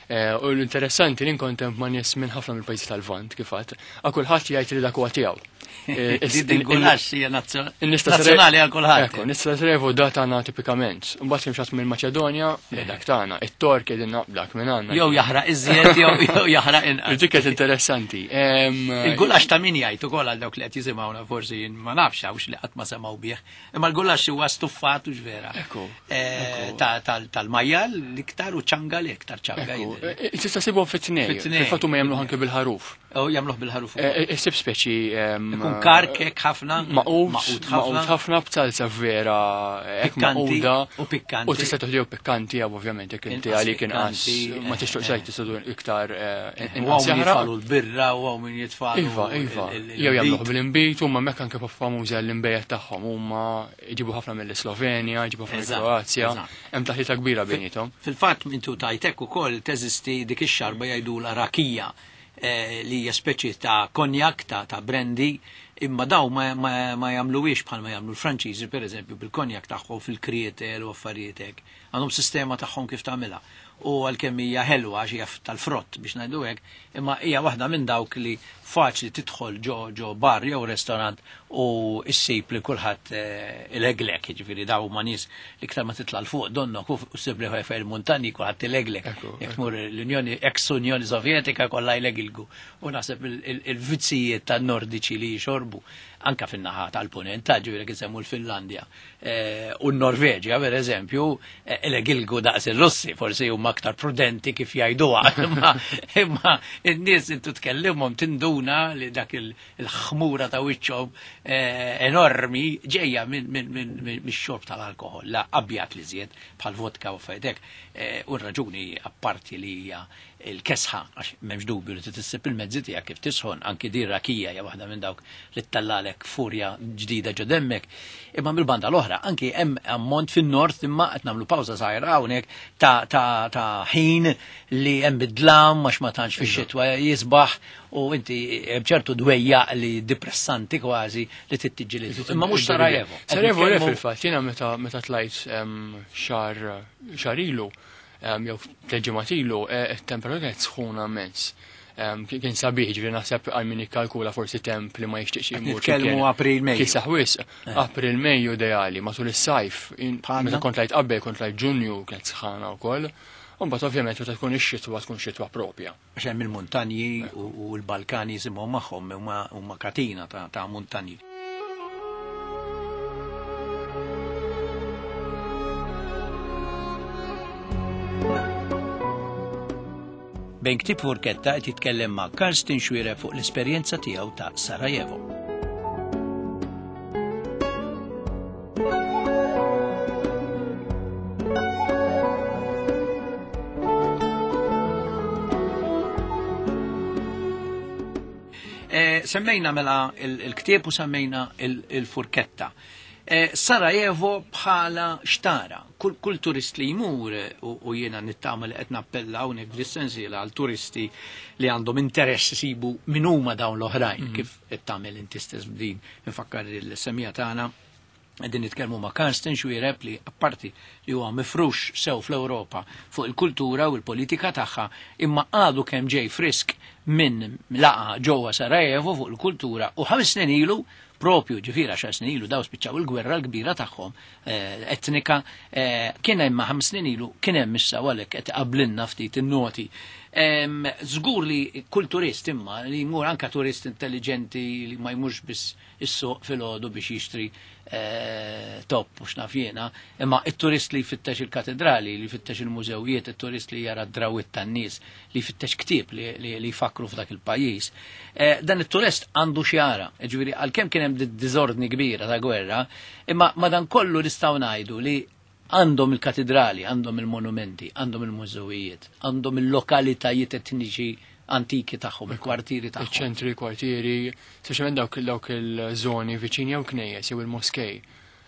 [SPEAKER 4] Eh, U l-interessanti li nkontemp ma' nies minn ħafna mill-pajjiżi tal-Lvant kif għadd, għal kulħadd jgħid li dak huwa tiegħu. Eh, is-
[SPEAKER 1] Din il-gulax hija nazzjo-
[SPEAKER 4] in-nies ta' Sarajevo-
[SPEAKER 1] nazzjonali għal kulħadd.
[SPEAKER 4] Ekku, nies ta' Sarajevo da tagħna tipikament. Mbagħad kien xi mill-Maċedonja, li dak tagħna, it-Tork qegħdin dak minn għandna.
[SPEAKER 1] Jew jaħraq iżjed jew jew jaħraq inqas.
[SPEAKER 4] Dik kienet interessanti. Em,
[SPEAKER 1] Il-gulax ta' min jgħid ukoll għal dawk li qed jisimgħuna forsi jien ma nafx hawnx li qatt ma semgħu bih. Imma l-gulax huwa stuffat u vera.
[SPEAKER 4] Ekku,
[SPEAKER 1] Eh,
[SPEAKER 4] ekku.
[SPEAKER 1] ta- tal- Tal-majjal l-iktar u ċanga l-iktar ċanga
[SPEAKER 4] Ekku,
[SPEAKER 1] jidher.
[SPEAKER 4] eh, tista' sibhom fit-tnej.
[SPEAKER 1] Fit-tnej.
[SPEAKER 4] Fil-fatt huma jagħmluh anke bil-ħaruf.
[SPEAKER 1] U jagħmluh bil-ħaruf. ukoll.
[SPEAKER 4] Eh, Issib speċi em,
[SPEAKER 1] Ikun karkek ħafna,
[SPEAKER 4] Maqut,
[SPEAKER 1] maqut
[SPEAKER 4] maqut
[SPEAKER 1] ħafna.
[SPEAKER 4] ħafna b'salsa vera, hekk
[SPEAKER 1] Pikkanti
[SPEAKER 4] maquda.
[SPEAKER 1] u pikkanti.
[SPEAKER 4] U tista' toħdew pikkanti jew ovvjament jekk inti
[SPEAKER 1] Inqas
[SPEAKER 4] għalik inqas
[SPEAKER 1] pikkanti,
[SPEAKER 4] ma
[SPEAKER 1] eh,
[SPEAKER 4] tixtieq
[SPEAKER 1] eh.
[SPEAKER 4] xejn tista' tkun iktar eh,
[SPEAKER 1] U
[SPEAKER 4] inqas
[SPEAKER 1] hawn min
[SPEAKER 4] jaħraq.
[SPEAKER 1] jitfalu l-birra u hawn min jitfalu.
[SPEAKER 4] Iva, iva.
[SPEAKER 1] il- il-
[SPEAKER 4] Jew jagħmluh
[SPEAKER 1] il-bit.
[SPEAKER 4] bil-inbit, huma hemmhekk anke famużi għall-inbejjed tagħhom, huma jġibu ħafna mill-Slovenja, jġibu ħafna
[SPEAKER 1] Eżatt,
[SPEAKER 4] mill-Kroazja,
[SPEAKER 1] eżatt.
[SPEAKER 4] hemm taħlita kbira bejniethom.
[SPEAKER 1] Fil-fatt mintu tajtek ukoll teżisti dik ix-xarba jgħidula rakija eh, li hija speċi ta' konjak ta' ta' brandy imma daw ma, ma, ma jagħmluhiex bħalma jagħmlu l-Franċiżi pereżempju bil-konjak tagħhom fil-krietel u affarijiet hekk. Għandhom sistema tagħhom kif tagħmilha. U għalkemm hija ħelwa għax hija tal-frott biex ngħidu hekk, imma hija waħda minn dawk li faċli tidħol ġo ġo bar jew restorant u issib li kulħadd eh, ileglek, jiġifieri daw ma nies li iktar ma titla' 'l fuq donnok u ssib li fejn il-muntanji kulħadd ileglek.
[SPEAKER 4] Ekku,
[SPEAKER 1] Jekk tmur l-Unjoni ex-Unjoni Sovjetika kollha jlegilgu. U naħseb il- il- il-vizzijiet tan-Nordiċi li jxorbu anka fin-naħa tal-punent, ta' ġifieri kif semmu l-Finlandja eh, u n-Norveġja per eżempju, eh, ilegilgu daqs ir-Russi, forsi huma aktar prudenti kif jgħiduha, imma imma n-nies intu tkellimhom tinduna li dak il- il-ħmura ta' wiċċhom eh, enormi ġejja minn min, min, min, mix-xorb tal-alkohol, la abjad li żjed bħal vodka u fejdek. Eh, U r-raġuni apparti li hija il-kesħa, għax m'hemmx dubju li tissib il-mezzi tiegħek kif tisħon, anki din rakija hija waħda minn dawk li ttallalek furja ġdida ġo demmek. Imma mill-banda l-oħra, anki hemm ammont fin-nord imma qed nagħmlu pawża żgħira hawnhekk ta' ta' ta' ħin li hemm bidlam għax ma tantx fix-xitwa jisbaħ u inti hemm ċertu dwejjaq li depressanti kważi li tittiġġieled. Imma mhux Sarajevo.
[SPEAKER 4] Sarajevo le fil-fatt, jiena meta meta tlajt xahar xahar ilu jew tliet ġimgħat ilu, it-temperatura kienet sħuna immens. Kien sabiħ, ġifieri naħseb għal min jikkalkula forsi temp li ma jixtieqx imur.
[SPEAKER 1] Nitkellmu April Mejju.
[SPEAKER 4] Kiesaħ wisq, April Mejju ideali, matul is-sajf, meta kont tlajt qabel, kont tlajt Ġunju, kienet sħana wkoll. U mbagħad ovvjament meta tkun ix-xitwa tkun xitwa propja.
[SPEAKER 1] Għax hemm il-muntanji u l-Balkani jisimhom magħhom huma katina ta' muntanji. Bejn ktieb furketta qed jitkellem ma' Karsten Xuereb fuq l-esperjenza tiegħu ta' Sarajevo. Eh, semmejna mela il-ktieb u semmejna il-furketta. Eh, Sarajevo bħala xtara. Kull, kull turist li jmur, u, u jiena nittama li qed nappella hawnhekk fis-sensiela għal turisti li għandhom interess isibu min huma dawn l-oħrajn, mm. kif qed tagħmel inti stess b'din, infakkar il-semija tagħna qegħdin nitkellmu ma' Karsten Xuereb li apparti li huwa mifrux sew fl-Ewropa fuq il-kultura u l-politika tagħha, imma għadu kemm ġej frisk minn laqa ġewwa Sarajevo fuq il-kultura u ħames snin ilu propju ġifieri għaxar snin ilu daw spiċċaw il-gwerra l-kbira tagħhom etnika, kien hemm ħames snin ilu kien hemm issa għalhekk qed qablinna ftit in-noti. Żgur li kull turist imma li jmur anke turist intelligenti li ma jmurx biss is-suq filgħodu biex jixtri top u x'naf jiena, imma it-turist li jfittex il-katedrali, li jfittex il-mużewijiet, it-turist li jara d-drawit tan-nies, li jfittex ktieb li jfakru f'dak il-pajjiż. Dan it-turist għandu x'jara, ġifieri għalkemm kien hemm diżordni kbira ta' gwerra, imma madankollu nistgħu ngħidu li għandhom il-katedrali, għandhom il-monumenti, għandhom il-mużewijiet, għandhom il-lokalitajiet etniċi antiki tagħhom, il-kwartieri tagħhom.
[SPEAKER 4] Iċ-ċentri, kwartieri, speċjalment dawk dawk il-żoni viċini jew knejjes jew il-moskej.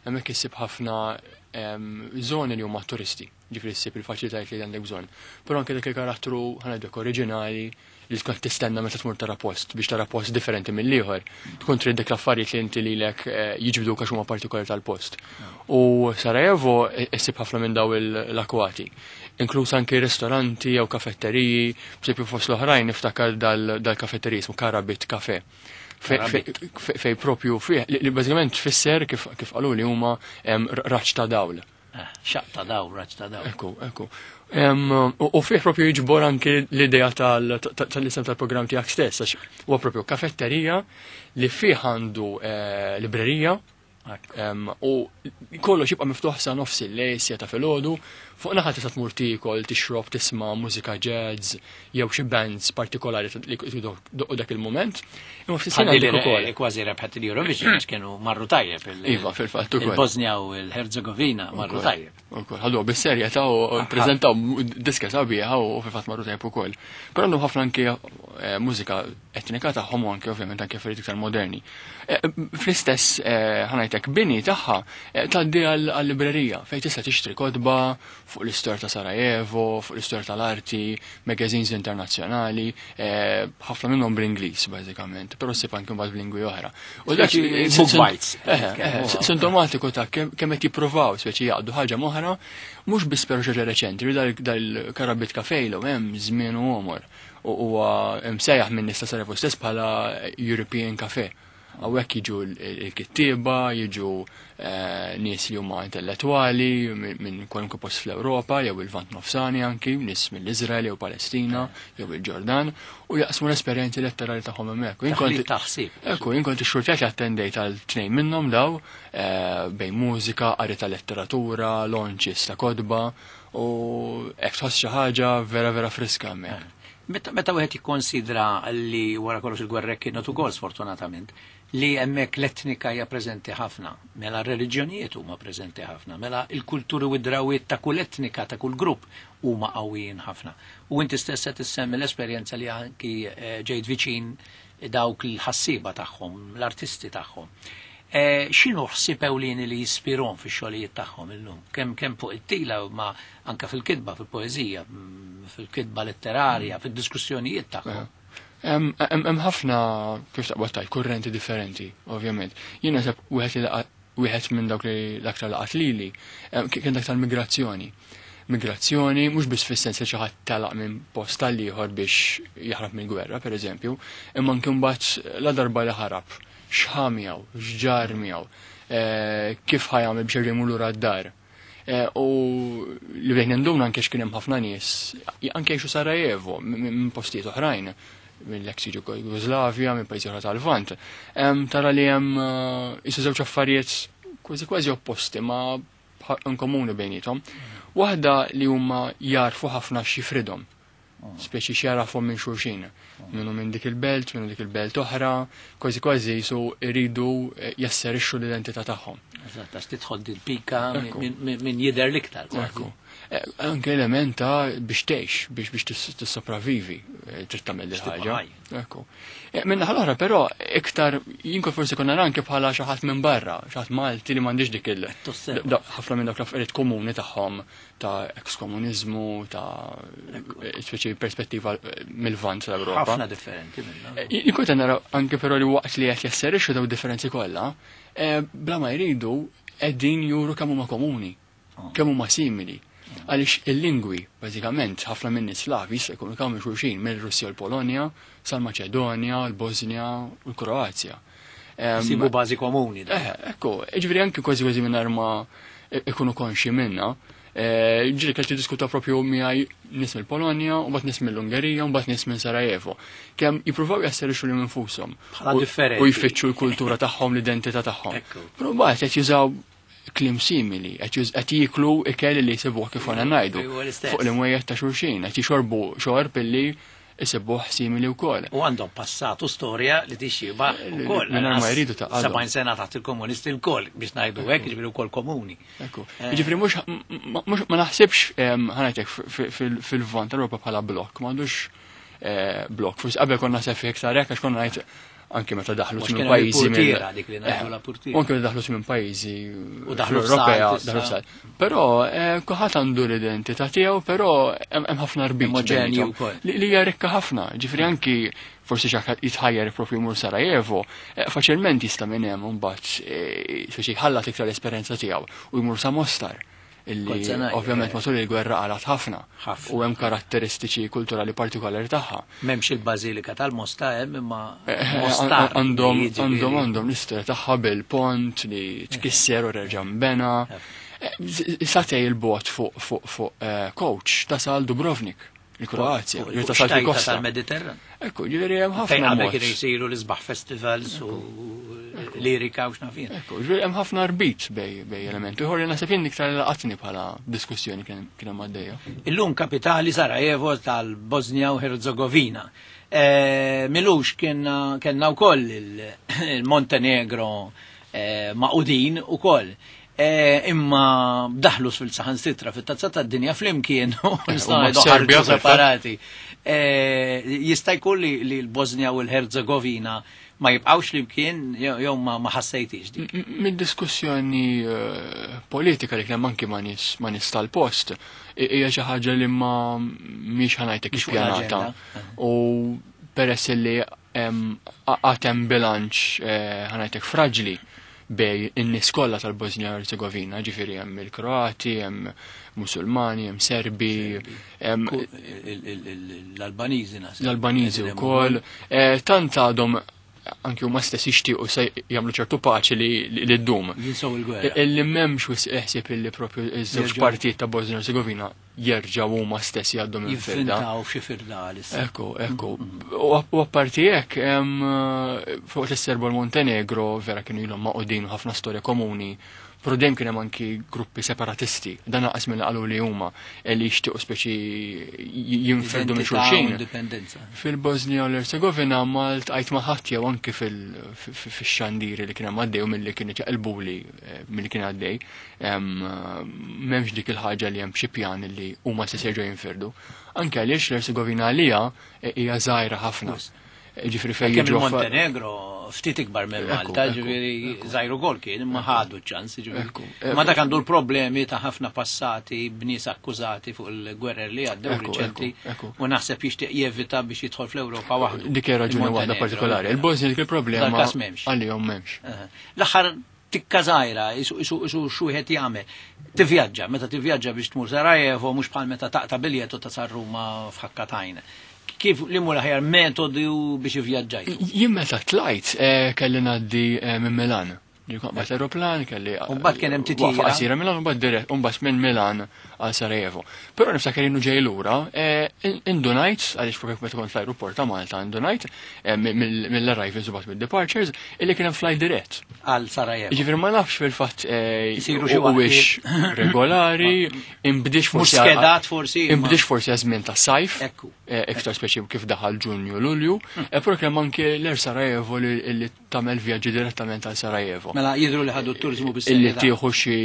[SPEAKER 4] Hemmhekk issib ħafna żoni li huma turisti, ġifieri ssib il-faċilitajiet li għandek bżonn. Però anke dak il-karattru ħa ngħidlek oriġinali li tkun tistenna meta tmur tara post biex tara post differenti mill-ieħor. Tkun trid dik l-affarijiet li inti lilek jiġbduk għax huma partikolari tal-post. U Sarajevo issib ħafna minn daw l-akwati, inkluż anke ristoranti jew kafetteriji, b'esempju fost l-oħrajn niftakar dal-kafetteriji ismu Karabit Cafe. Fej propju fih, li bażikament tfisser kif qalu li huma raġġ ta' dawl.
[SPEAKER 1] Xaq ta' dawl, raġġ ta' dawl.
[SPEAKER 4] Ekku, ekku. U fih propju jiġbor anke l-idea tal-isem tal-programm tiegħek stess, għax huwa propju kafetterija li fih għandu librerija, u kollox jibqa' miftuħ sa nofs il-lejl, siegħa ta' filgħodu, fuq naħa tista' tmur tiekol, tixrob, tisma' mużika jazz jew xi bands partikolari li doqqu dak il-mument. Imma fl-istess ħin għandek ukoll.
[SPEAKER 1] Kważi rebħet il-Eurovision għax kienu marru tajjeb.
[SPEAKER 4] Iva, fil-fatt ukoll.
[SPEAKER 1] Il-Bosnia u l-Herzegovina marru tajjeb.
[SPEAKER 4] Ukoll, ħaduha bis-serjetà u ppreżentaw diska sabiħa u fil-fatt marru tajjeb ukoll. Però għandhom ħafna anke mużika etnika tagħhom u anke ovvjament anke affarijiet iktar moderni. Fl-istess ħa ngħidlek bini tagħha tgħaddi għal-librerija fejn tista' tixtri kotba fuq l-istorja ta' Sarajevo, fuq l-istorja tal-arti, magazines internazzjonali, ħafna minnhom bl-Ingliż bażikament, però ssib anke mbagħad b'lingwi oħra.
[SPEAKER 1] U dak book bites.
[SPEAKER 4] Sintomatiku ta' kemm qed jippruvaw speċi jaqdu ħaġa moħra, mhux biss però xi reċenti, dal-Karabit Cafe ilu hemm żmien u għomor. U huwa msejjaħ minn nies ta' Sarajevo stess bħala European Cafe. Hawnhekk jiġu l-kittieba, jiġu nies li huma intellettwali minn kwalunkwe post fl-Ewropa jew il-Lvant Nofsani anki, nies mill-Iżrael jew Palestina jew il-Ġordan, u jaqsmu l-esperjenzi letterali tagħhom hemmhekk.
[SPEAKER 1] Taħsib.
[SPEAKER 4] Ekku, jien kont ixxurtjat li attendejt għal tnejn minnhom daw bejn mużika, qari ta' letteratura, launches ta' kotba, u hekk tħoss xi ħaġa vera vera friska hemmhekk.
[SPEAKER 1] Meta wieħed jikkonsidra li wara kollox il-gwerra kienet ukoll sfortunatament li hemmhekk l-etnika hija preżenti ħafna, mela r-reliġjonijiet huma preżenti ħafna, mela il-kulturi u d-drawiet ta' kull etnika, ta' kull grupp huma qawwijin ħafna. U inti stess qed issemmi l-esperjenza li anki ġejt viċin dawk il-ħassiba tagħhom, l-artisti tagħhom. X'inhu ħsieb ewlieni li jispirhom fix-xogħlijiet tagħhom illum? Kemm kemm fuq it-tila ma anke fil-kitba, fil-poeżija, fil-kitba letterarja, fid-diskussjonijiet tagħhom.
[SPEAKER 4] Hemm ħafna kif taqbad tajt kurrenti differenti, ovvjament. Jien naħseb wieħed wieħed minn dawk li l-aktar laqat lili kien dak tal-migrazzjoni. Migrazzjoni mhux biss fis-sens li xi ħadd telaq minn post tal ieħor biex jaħrab mill-gwerra, pereżempju, imma anke mbagħad la darba li ħarab, x'ħa miegħu, x'ġar miegħu, kif ħa jagħmel biex jerġa' jmur lura d-dar. U li bdejt ninduna anke x'kien hemm ħafna nies, anke jgħixu Sarajevo minn postijiet oħrajn, mill-ex Jugoslavja, minn pajjiżi oħra tal-Lvant. Tara li hemm isu żewġ affarijiet kważi kważi opposti ma komuni bejnietom. Waħda li huma jarfu ħafna x'jifridhom, speċi x'jarafhom minn xulxin, minnu minn dik il-belt, minnu dik il-belt oħra, kważi kważi jisu jridu jasserixxu l-identità tagħhom.
[SPEAKER 1] Eżatt, għax tidħol dil-pika minn jidher l-iktar.
[SPEAKER 4] Ekku. Anke element ta' biex tgħix, biex biex tissopravivi, trid tagħmel il-ħaġa. Ekku. Minn naħa l-oħra però iktar jien forsi konna anke bħala xi ħadd minn barra, xi ħadd Malti li m'għandix dik il ħafna minn dawk l-affarijiet komuni tagħhom ta' ekskomuniżmu, ta' speċi perspettiva mill-Lvant tal-Ewropa.
[SPEAKER 1] Ħafna differenti minnha.
[SPEAKER 4] Jien kont nara anke però li waqt li qed jasserixxu daw differenzi kollha, bla ma jridu qegħdin juru kemm huma komuni, kemm huma simili. Għaliex il-lingwi, bażikament, ħafna minn nies Slavi jista' jkunu kemm xulxin mill-Russja u l-Polonja, sal-Maċedonja, l-Bosnja u l-Kroazja.
[SPEAKER 1] Sibu bażi komuni.
[SPEAKER 4] Eh, ekku, ġifieri anke kważi kważi mingħajr ma ikunu konxi minna. Ġieli kelli diskuta propju miegħi nies mill-Polonja, u mbagħad nies mill-Ungerija, u mbagħad nies minn Sarajevo. Kemm jippruvaw jasserixxu lil infushom.
[SPEAKER 1] Bħala differenti.
[SPEAKER 4] U jfittxu l-kultura tagħhom, l-identità tagħhom. Però mbagħad qed jużaw klim simili, qed jieklu ikel li jsibuh kif għandna ngħidu fuq l-imwejjed ta' xulxin, qed jixorbu xorb illi jsibuh simili wkoll.
[SPEAKER 1] U għandhom passat u storja li tixxiba wkoll.
[SPEAKER 4] Mingħajr ma jridu ta'
[SPEAKER 1] sebgħin sena taħt il-komunisti lkoll biex ngħidu hekk, jiġifieri wkoll komuni.
[SPEAKER 4] Ekku. Jiġifieri mhux ma naħsibx ħanajtek fil-Lvant tal-Ewropa bħala blokk, m'għandux blokk. Forsi qabel konna naħseb fih iktar hekk għax konna ngħid anke meta daħlu minn pajjiżi anke meta daħlu minn pajjiżi Ewropea daħlu sal. Però kulħadd għandu l-identità tiegħu, però hemm ħafna rbit li hija rikka ħafna. Ġifieri anki forsi xi ħadd jitħajjar propju jmur Sarajevo, faċilment jista' minn hemm imbagħad speċi jħallat iktar l-esperjenza tiegħu u jmur sa Mostar. Illi ovvjament matul il-gwerra qalat ħafna u hemm karatteristiċi kulturali partikolari tagħha.
[SPEAKER 1] M'hemmx il-Bażilika tal-Mosta hemm imma Mostar.
[SPEAKER 4] Għandhom għandhom għandhom l-istorja tagħha bil-pont li tkisser u reġa' nbena. Satej il-bot fuq fuq fuq coach tasal Dubrovnik, il-Kroazja, jew tasal fil-kosta
[SPEAKER 1] tal-Mediterran.
[SPEAKER 4] Ekku, ġifieri hemm ħafna.
[SPEAKER 1] Fejn qabel kienu jsiru l-isbaħ festivals u lirika u x'naf jien.
[SPEAKER 4] Ekku, ġifieri hemm ħafna rbit bej bej elementi. Ieħor li naħseb jien iktar laqatni bħala diskussjoni kien hemm għaddejja.
[SPEAKER 1] Illum kapitali Sarajevo tal-Bosnia u Herzegovina. Milux kellna wkoll il-Montenegro maqudin ukoll. Imma daħlu fil-saħan sitra fit-tazza tad-dinja flimkien u nistgħu separati. Jista' jkun li l-Bosnia u l-Herzegovina ma jibqgħux flimkien jew ma ħassejtix dik.
[SPEAKER 4] Mid-diskussjoni politika li kien hemm anki ma' nies ma' nies tal-post hija xi ħaġa li ma mhix ħanajtek ippjanata. U peress li għad hemm bilanċ ħanajtek fraġli bej in-nies kollha tal-Bosnia u Herzegovina, ġifieri hemm il-Kroati, hemm Musulmani, hemm Serbi, hemm
[SPEAKER 1] l-Albaniżi naħseb.
[SPEAKER 4] L-Albaniżi wkoll. Tant għadhom anki huma stess jixtiequ se jagħmlu ċertu paċi li ddum.
[SPEAKER 1] Jinsew il-gwerra.
[SPEAKER 4] Illi m'hemmx wisq ħsieb illi propju iż-żewġ partijiet ta' Bosnia u Herzegovina jerġgħu huma stess jgħaddu minn firda.
[SPEAKER 1] Jivvintaw xi firda għalissa.
[SPEAKER 4] Ekku, ekku. U apparti hekk fuq is-Serbo l-Montenegro vera kienu ilhom maqudin u ħafna storja komuni Però dejjem kien hemm anki gruppi separatisti, dan naqas minn qalu li huma li jixtiequ speċi jinfirdu minn xulxin. Fil-Bosnia u l-Erzegovina ma ltqajt ma' ħadd jew anki fix-xandiri li kien hemm għaddej u milli kien iċaqilbuli milli kien għaddej, m'hemmx dik il-ħaġa li hemm xi pjan li huma se jerġgħu jinfirdu. Anke għaliex l-Erzegovina għalija hija żgħira ħafna. Ġifieri fejn
[SPEAKER 1] jiġu Montenegro ftit ikbar minn Malta, ġifieri żgħir ukoll kien, imma ħadu ċ-ċans, ġifieri. Ma dak għandu l-problemi ta' ħafna passati b'nies akkużati fuq il-gwerer li għaddew riċenti u naħseb jixtieq jevita biex jidħol fl-Ewropa waħdu.
[SPEAKER 4] Dik hija raġuni waħda partikolari. Il-Bosnia dik il-problema għalihom m'hemmx.
[SPEAKER 1] L-aħħar tikka żgħira, isu xi wieħed jagħmel. Tivvjaġġa, meta tivvjaġġa biex tmur Sarajevo mhux bħal meta taqta' biljett u tasal Ruma f'ħakkatajn. Kif li mur aħjar metodi biex ivvjaġġajt?
[SPEAKER 4] Jien meta tlajt kelli ngħaddi minn Milan. Ġifieri aeroplan kelli.
[SPEAKER 1] U mbagħad kien hemm titjira.
[SPEAKER 4] Waqfa qasira Milan u mbagħad dirett u mbagħad minn Milan għal Sarajevo. Però niftakar innu ġej lura, indunajt għaliex propju meta kont fl-ajruport ta' Malta indunajt mill-arrivals u mbagħad mid-departures illi kien hemm flight dirett.
[SPEAKER 1] Għal Sarajevo.
[SPEAKER 4] Jiġifieri ma nafx fil-fatt huwiex regolari, imbdiex forsi.
[SPEAKER 1] Mhux skedat forsi.
[SPEAKER 4] Imbdiex forsi għaż-żmien tas-sajf. Iktar speċi kif daħal Ġunju Lulju, però kien hemm anke l-Air Sarajevo li tagħmel vjaġġi direttament għal Sarajevo.
[SPEAKER 1] Mela jidhru li ħadu t-turiżmu bis
[SPEAKER 4] Illi tieħu xi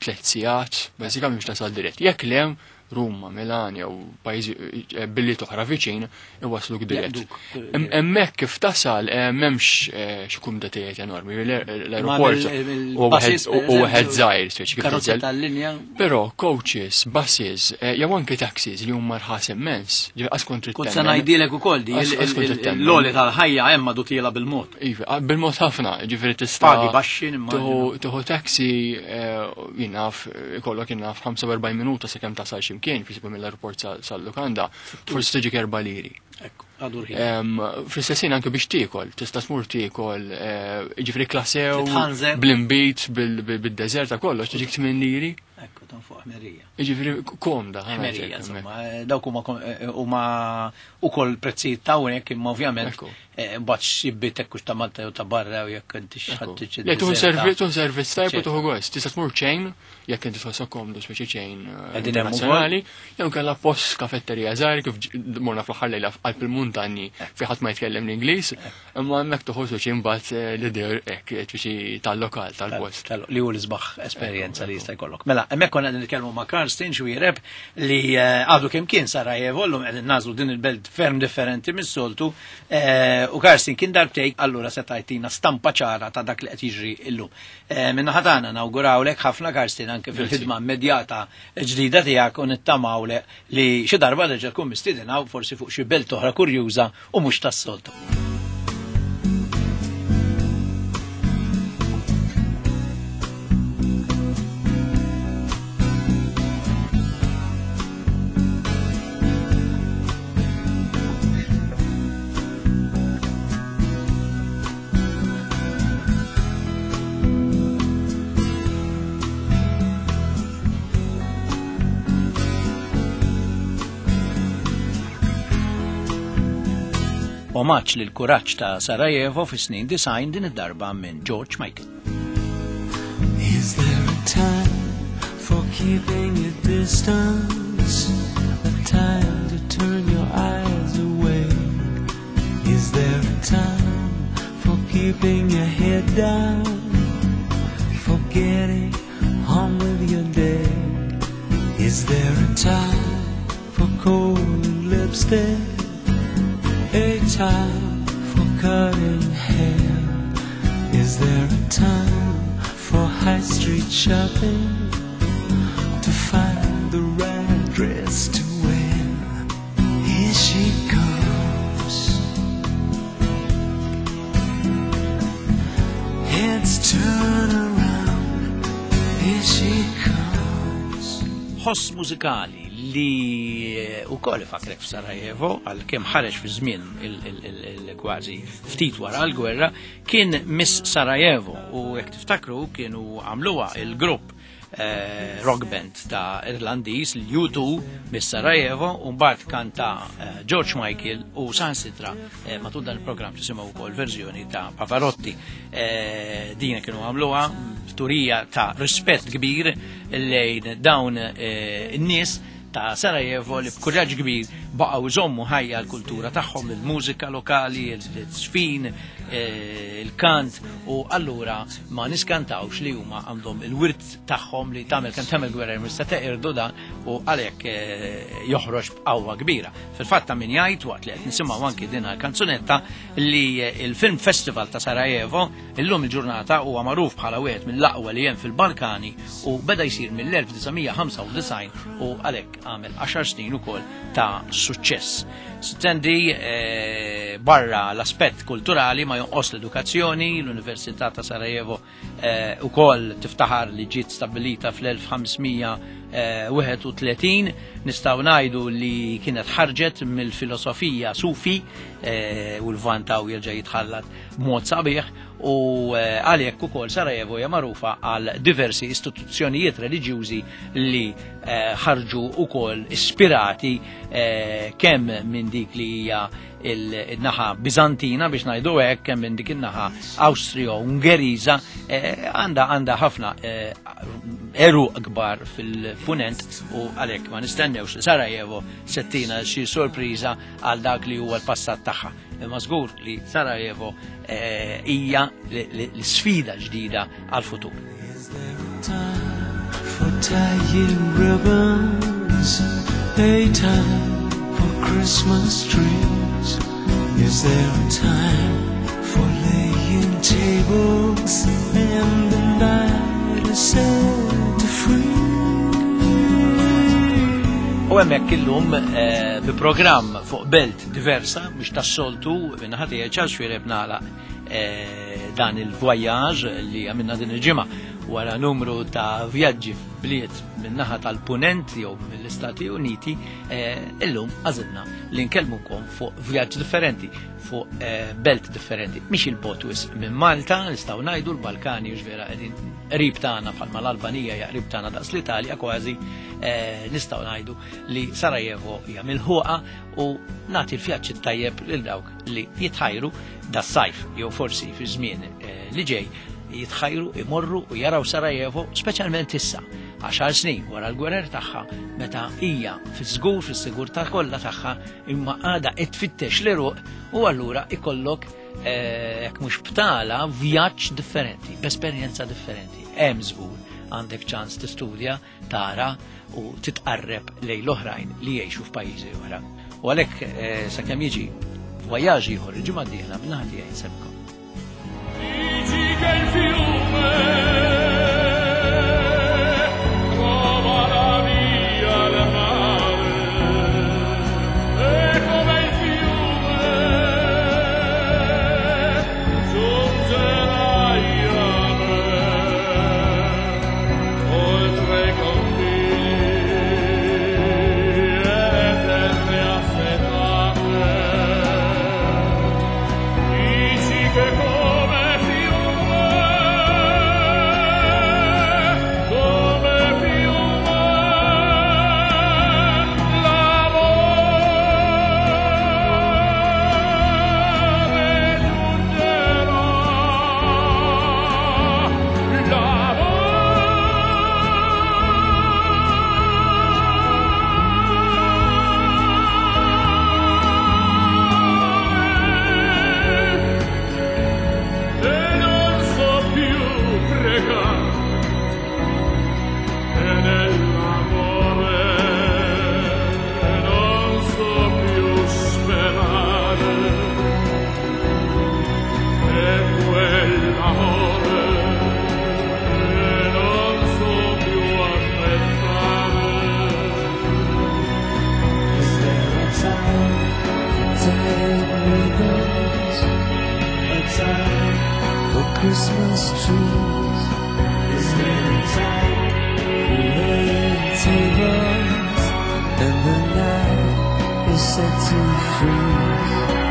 [SPEAKER 4] tliet sigħat, bażikament biex tasal dirett. Jekk le Ruma, Milan jew pajjiżi billi toħra viċin iwasluk dirett. Hemmhekk kif tasal m'hemmx xi kumdatijiet enormi. L-aeroport u wieħed żgħir speċi kif
[SPEAKER 1] karozza tal-linja.
[SPEAKER 4] Però coaches, buses, jew anke taxis li huma rħas immens. Qas kont
[SPEAKER 1] Kont se ngħidilek ukoll di l-għoli tal-ħajja hemm għadu tiela bil-mod.
[SPEAKER 4] Iva, bil-mod ħafna, ġifieri tista'
[SPEAKER 1] Pagi baxxi
[SPEAKER 4] nimmaġina. Tieħu taxi jien naf ikollok jien naf ħamsa u erbgħin minuta sakemm tasal x'imkien, per esempio mill-aeroport sal-lukanda, forsi tiġi erba' liri.
[SPEAKER 1] Ekku, għadu rħin.
[SPEAKER 4] Fl-istess ħin anke biex tiekol, tista' tmur tiekol, ġifieri klasew, bl-imbit, bid-deżert ta' kollox, tiġik tmien liri.
[SPEAKER 1] Ekku, tan fuq ħmerija.
[SPEAKER 4] Jiġifieri komda.
[SPEAKER 1] Ħmerija, insomma, dawk huma huma ukoll prezzijiet ta' hawnhekk imma ovvjament mbagħad xibbiet hekk ta' Malta jew ta' barra jew jekk inti x'ħadd tiġi.
[SPEAKER 4] Le tuħu servizz, tuħu servizz tajb u tuħu gost. Tista' tmur chain, jekk inti tħossok komdu speċi chain internazzjonali, jew kellha post kafetterija żgħir kif morna fl-aħħar lejla qalb il-muntanji fi ħadd ma jitkellem l-Ingliż, imma hemmhekk tuħu speċi mbagħad l-idea hekk speċi tal-lokal tal-post.
[SPEAKER 1] Li hu l-isbaħ esperjenza li jista' jkollok. Mela, hemmhekk konna qegħdin nitkellmu ma' Karsten Xuereb li għadu kemm kien Sarajevo, llum qegħdin nażlu din il-belt ferm differenti mis-soltu, u Karsten kien darbtejk, allura se tajtina stampa ċara ta' dak li qed jiġri llum. Min-naħa tagħna nawgurawlek ħafna Karsten anke fil-ħidma immedjata ġdida tiegħek u nittamawlek li xi darba terġa' tkun mistiedna forsi fuq xi belt oħra kurjuża u mhux tas-soltu. Omaġġ lil kuraġġ ta' Sarajevo fis-snin design din id-darba minn George Michael.
[SPEAKER 2] Is there a time for keeping a distance? A time to turn your eyes away? Is there a time for keeping your head down? For getting on with your day? Is there a time for cold lipstick? A time for cutting hair? Is there a time for high street shopping? To find the right dress to wear? Here she comes. Heads turn around. Here she comes.
[SPEAKER 1] Ħoss mużikali li wkoll ifakrek f'Sarajevo għalkemm ħareġ fi żmien il-kważi ftit wara l-gwerra kien Miss Sarajevo u jekk tiftakru kienu għamluha il-grupp rock band ta' Irlandiż l-U two Miss Sarajevo u mbagħad kanta George Michael u saħansitra matul dan il-programm tisimgħu wkoll verżjoni ta' Pavarotti. Din kienu għamluha Turija ta' rispett kbir lejn dawn in-nies ta' Sarajevo li b'kuraġġ kbir baqgħu jżommu ħajja l-kultura tagħhom, il-mużika lokali, il-żfin, il-kant, u allura ma niskantawx li huma għandhom il-wirt tagħhom li tagħmel kemm tagħmel gwerra mista teqirdu dan, u għalhekk joħroġ b'qawwa kbira. Fil-fatt ta' min jgħid waqt li qed nisimgħu anki din il-kanzunetta li il-Film Festival ta' Sarajevo illum il-ġurnata huwa magħruf bħala wieħed mill-aqwa li hemm fil-Balkani u beda jsir mill-elf disa' mija ħamsa u disgħin u għalhekk għamel għaxar snin ukoll ta' suċċess. Stendi eh, barra l-aspett kulturali ma jonqos l-edukazzjoni, l-Università ta' Sarajevo eh, ukoll tiftaħar li ġiet stabbilita fl-elf ħamsmija wieħed u tletin, nistgħu ngħidu li kienet ħarġet mill-filosofija Sufi, eh, u l-Vantaw jerġa' jitħallat b'mod sabiħ, u għalhekk ukoll Sarajevo hija magħrufa għal diversi istituzzjonijiet reliġjużi li ħarġu ukoll ispirati kemm minn dik li hija il-naħa Bizantina biex ngħidu hekk, kemm minn dik in-naħa Awstrio-Ungeriża, għandha għandha ħafna eruq kbar fil-punent, u għalhekk ma nistennewx li Sarajevo settina xi sorpriża għal dak li huwa l-passat tagħha. Imma żgur li Sarajevo hija l-sfida ġdida għal-futur.
[SPEAKER 2] Is there a time for tying ribbons, a time for Christmas trees? Is there a time for laying tables and the night is set to free?
[SPEAKER 1] U hemmhekk illum bi programm fuq belt diversa biex tas-soltu minnaħa tiegħi Charles Xuereb nagħlaq dan il-voyage li għamilna din il-ġimgħa wara numru ta' vjaġġi f'bliet min-naħa tal-Punent jew mill-Istati Uniti, illum għażilna li nkellmukom fuq vjaġġ differenti, fuq belt differenti. Mhix il-bot wisq minn Malta, nistgħu ngħidu l-Balkani hux vera qegħdin qrib tagħna bħalma l-Albanija hija qrib tagħna daqs l-Italja kważi, nistgħu ngħidu li Sarajevo hija milħuqa, u nagħti l-vjaġġ it-tajjeb lil dawk li jitħajru das-sajf jew forsi fi żmien li ġej jitħajru imorru u jaraw Sarajevo, speċjalment issa, għaxar snin wara l-gwerer tagħha, meta hija fiż-żgur fis-sigurtà kollha tagħha, imma għadha qed tfittex l-eruq, u allura ikollok jekk mhux btala vjaġġ differenti, b'esperjenza differenti. Hemm żgur għandek ċans tistudja, tara u titqarreb lejn l-oħrajn li jgħixu f'pajjiżi oħra. U għalhekk sakemm jiġi voyaġ ieħor il-ġimgħa d-dieħla minn tiegħi nsemmkom.
[SPEAKER 3] Dici che il fiume trova la via al mare, e come il fiume giungerai a me, oltre i confini e le terre assetate. Dici che come
[SPEAKER 2] Christmas trees? Is there a time for laying tables and the night is set to freeze?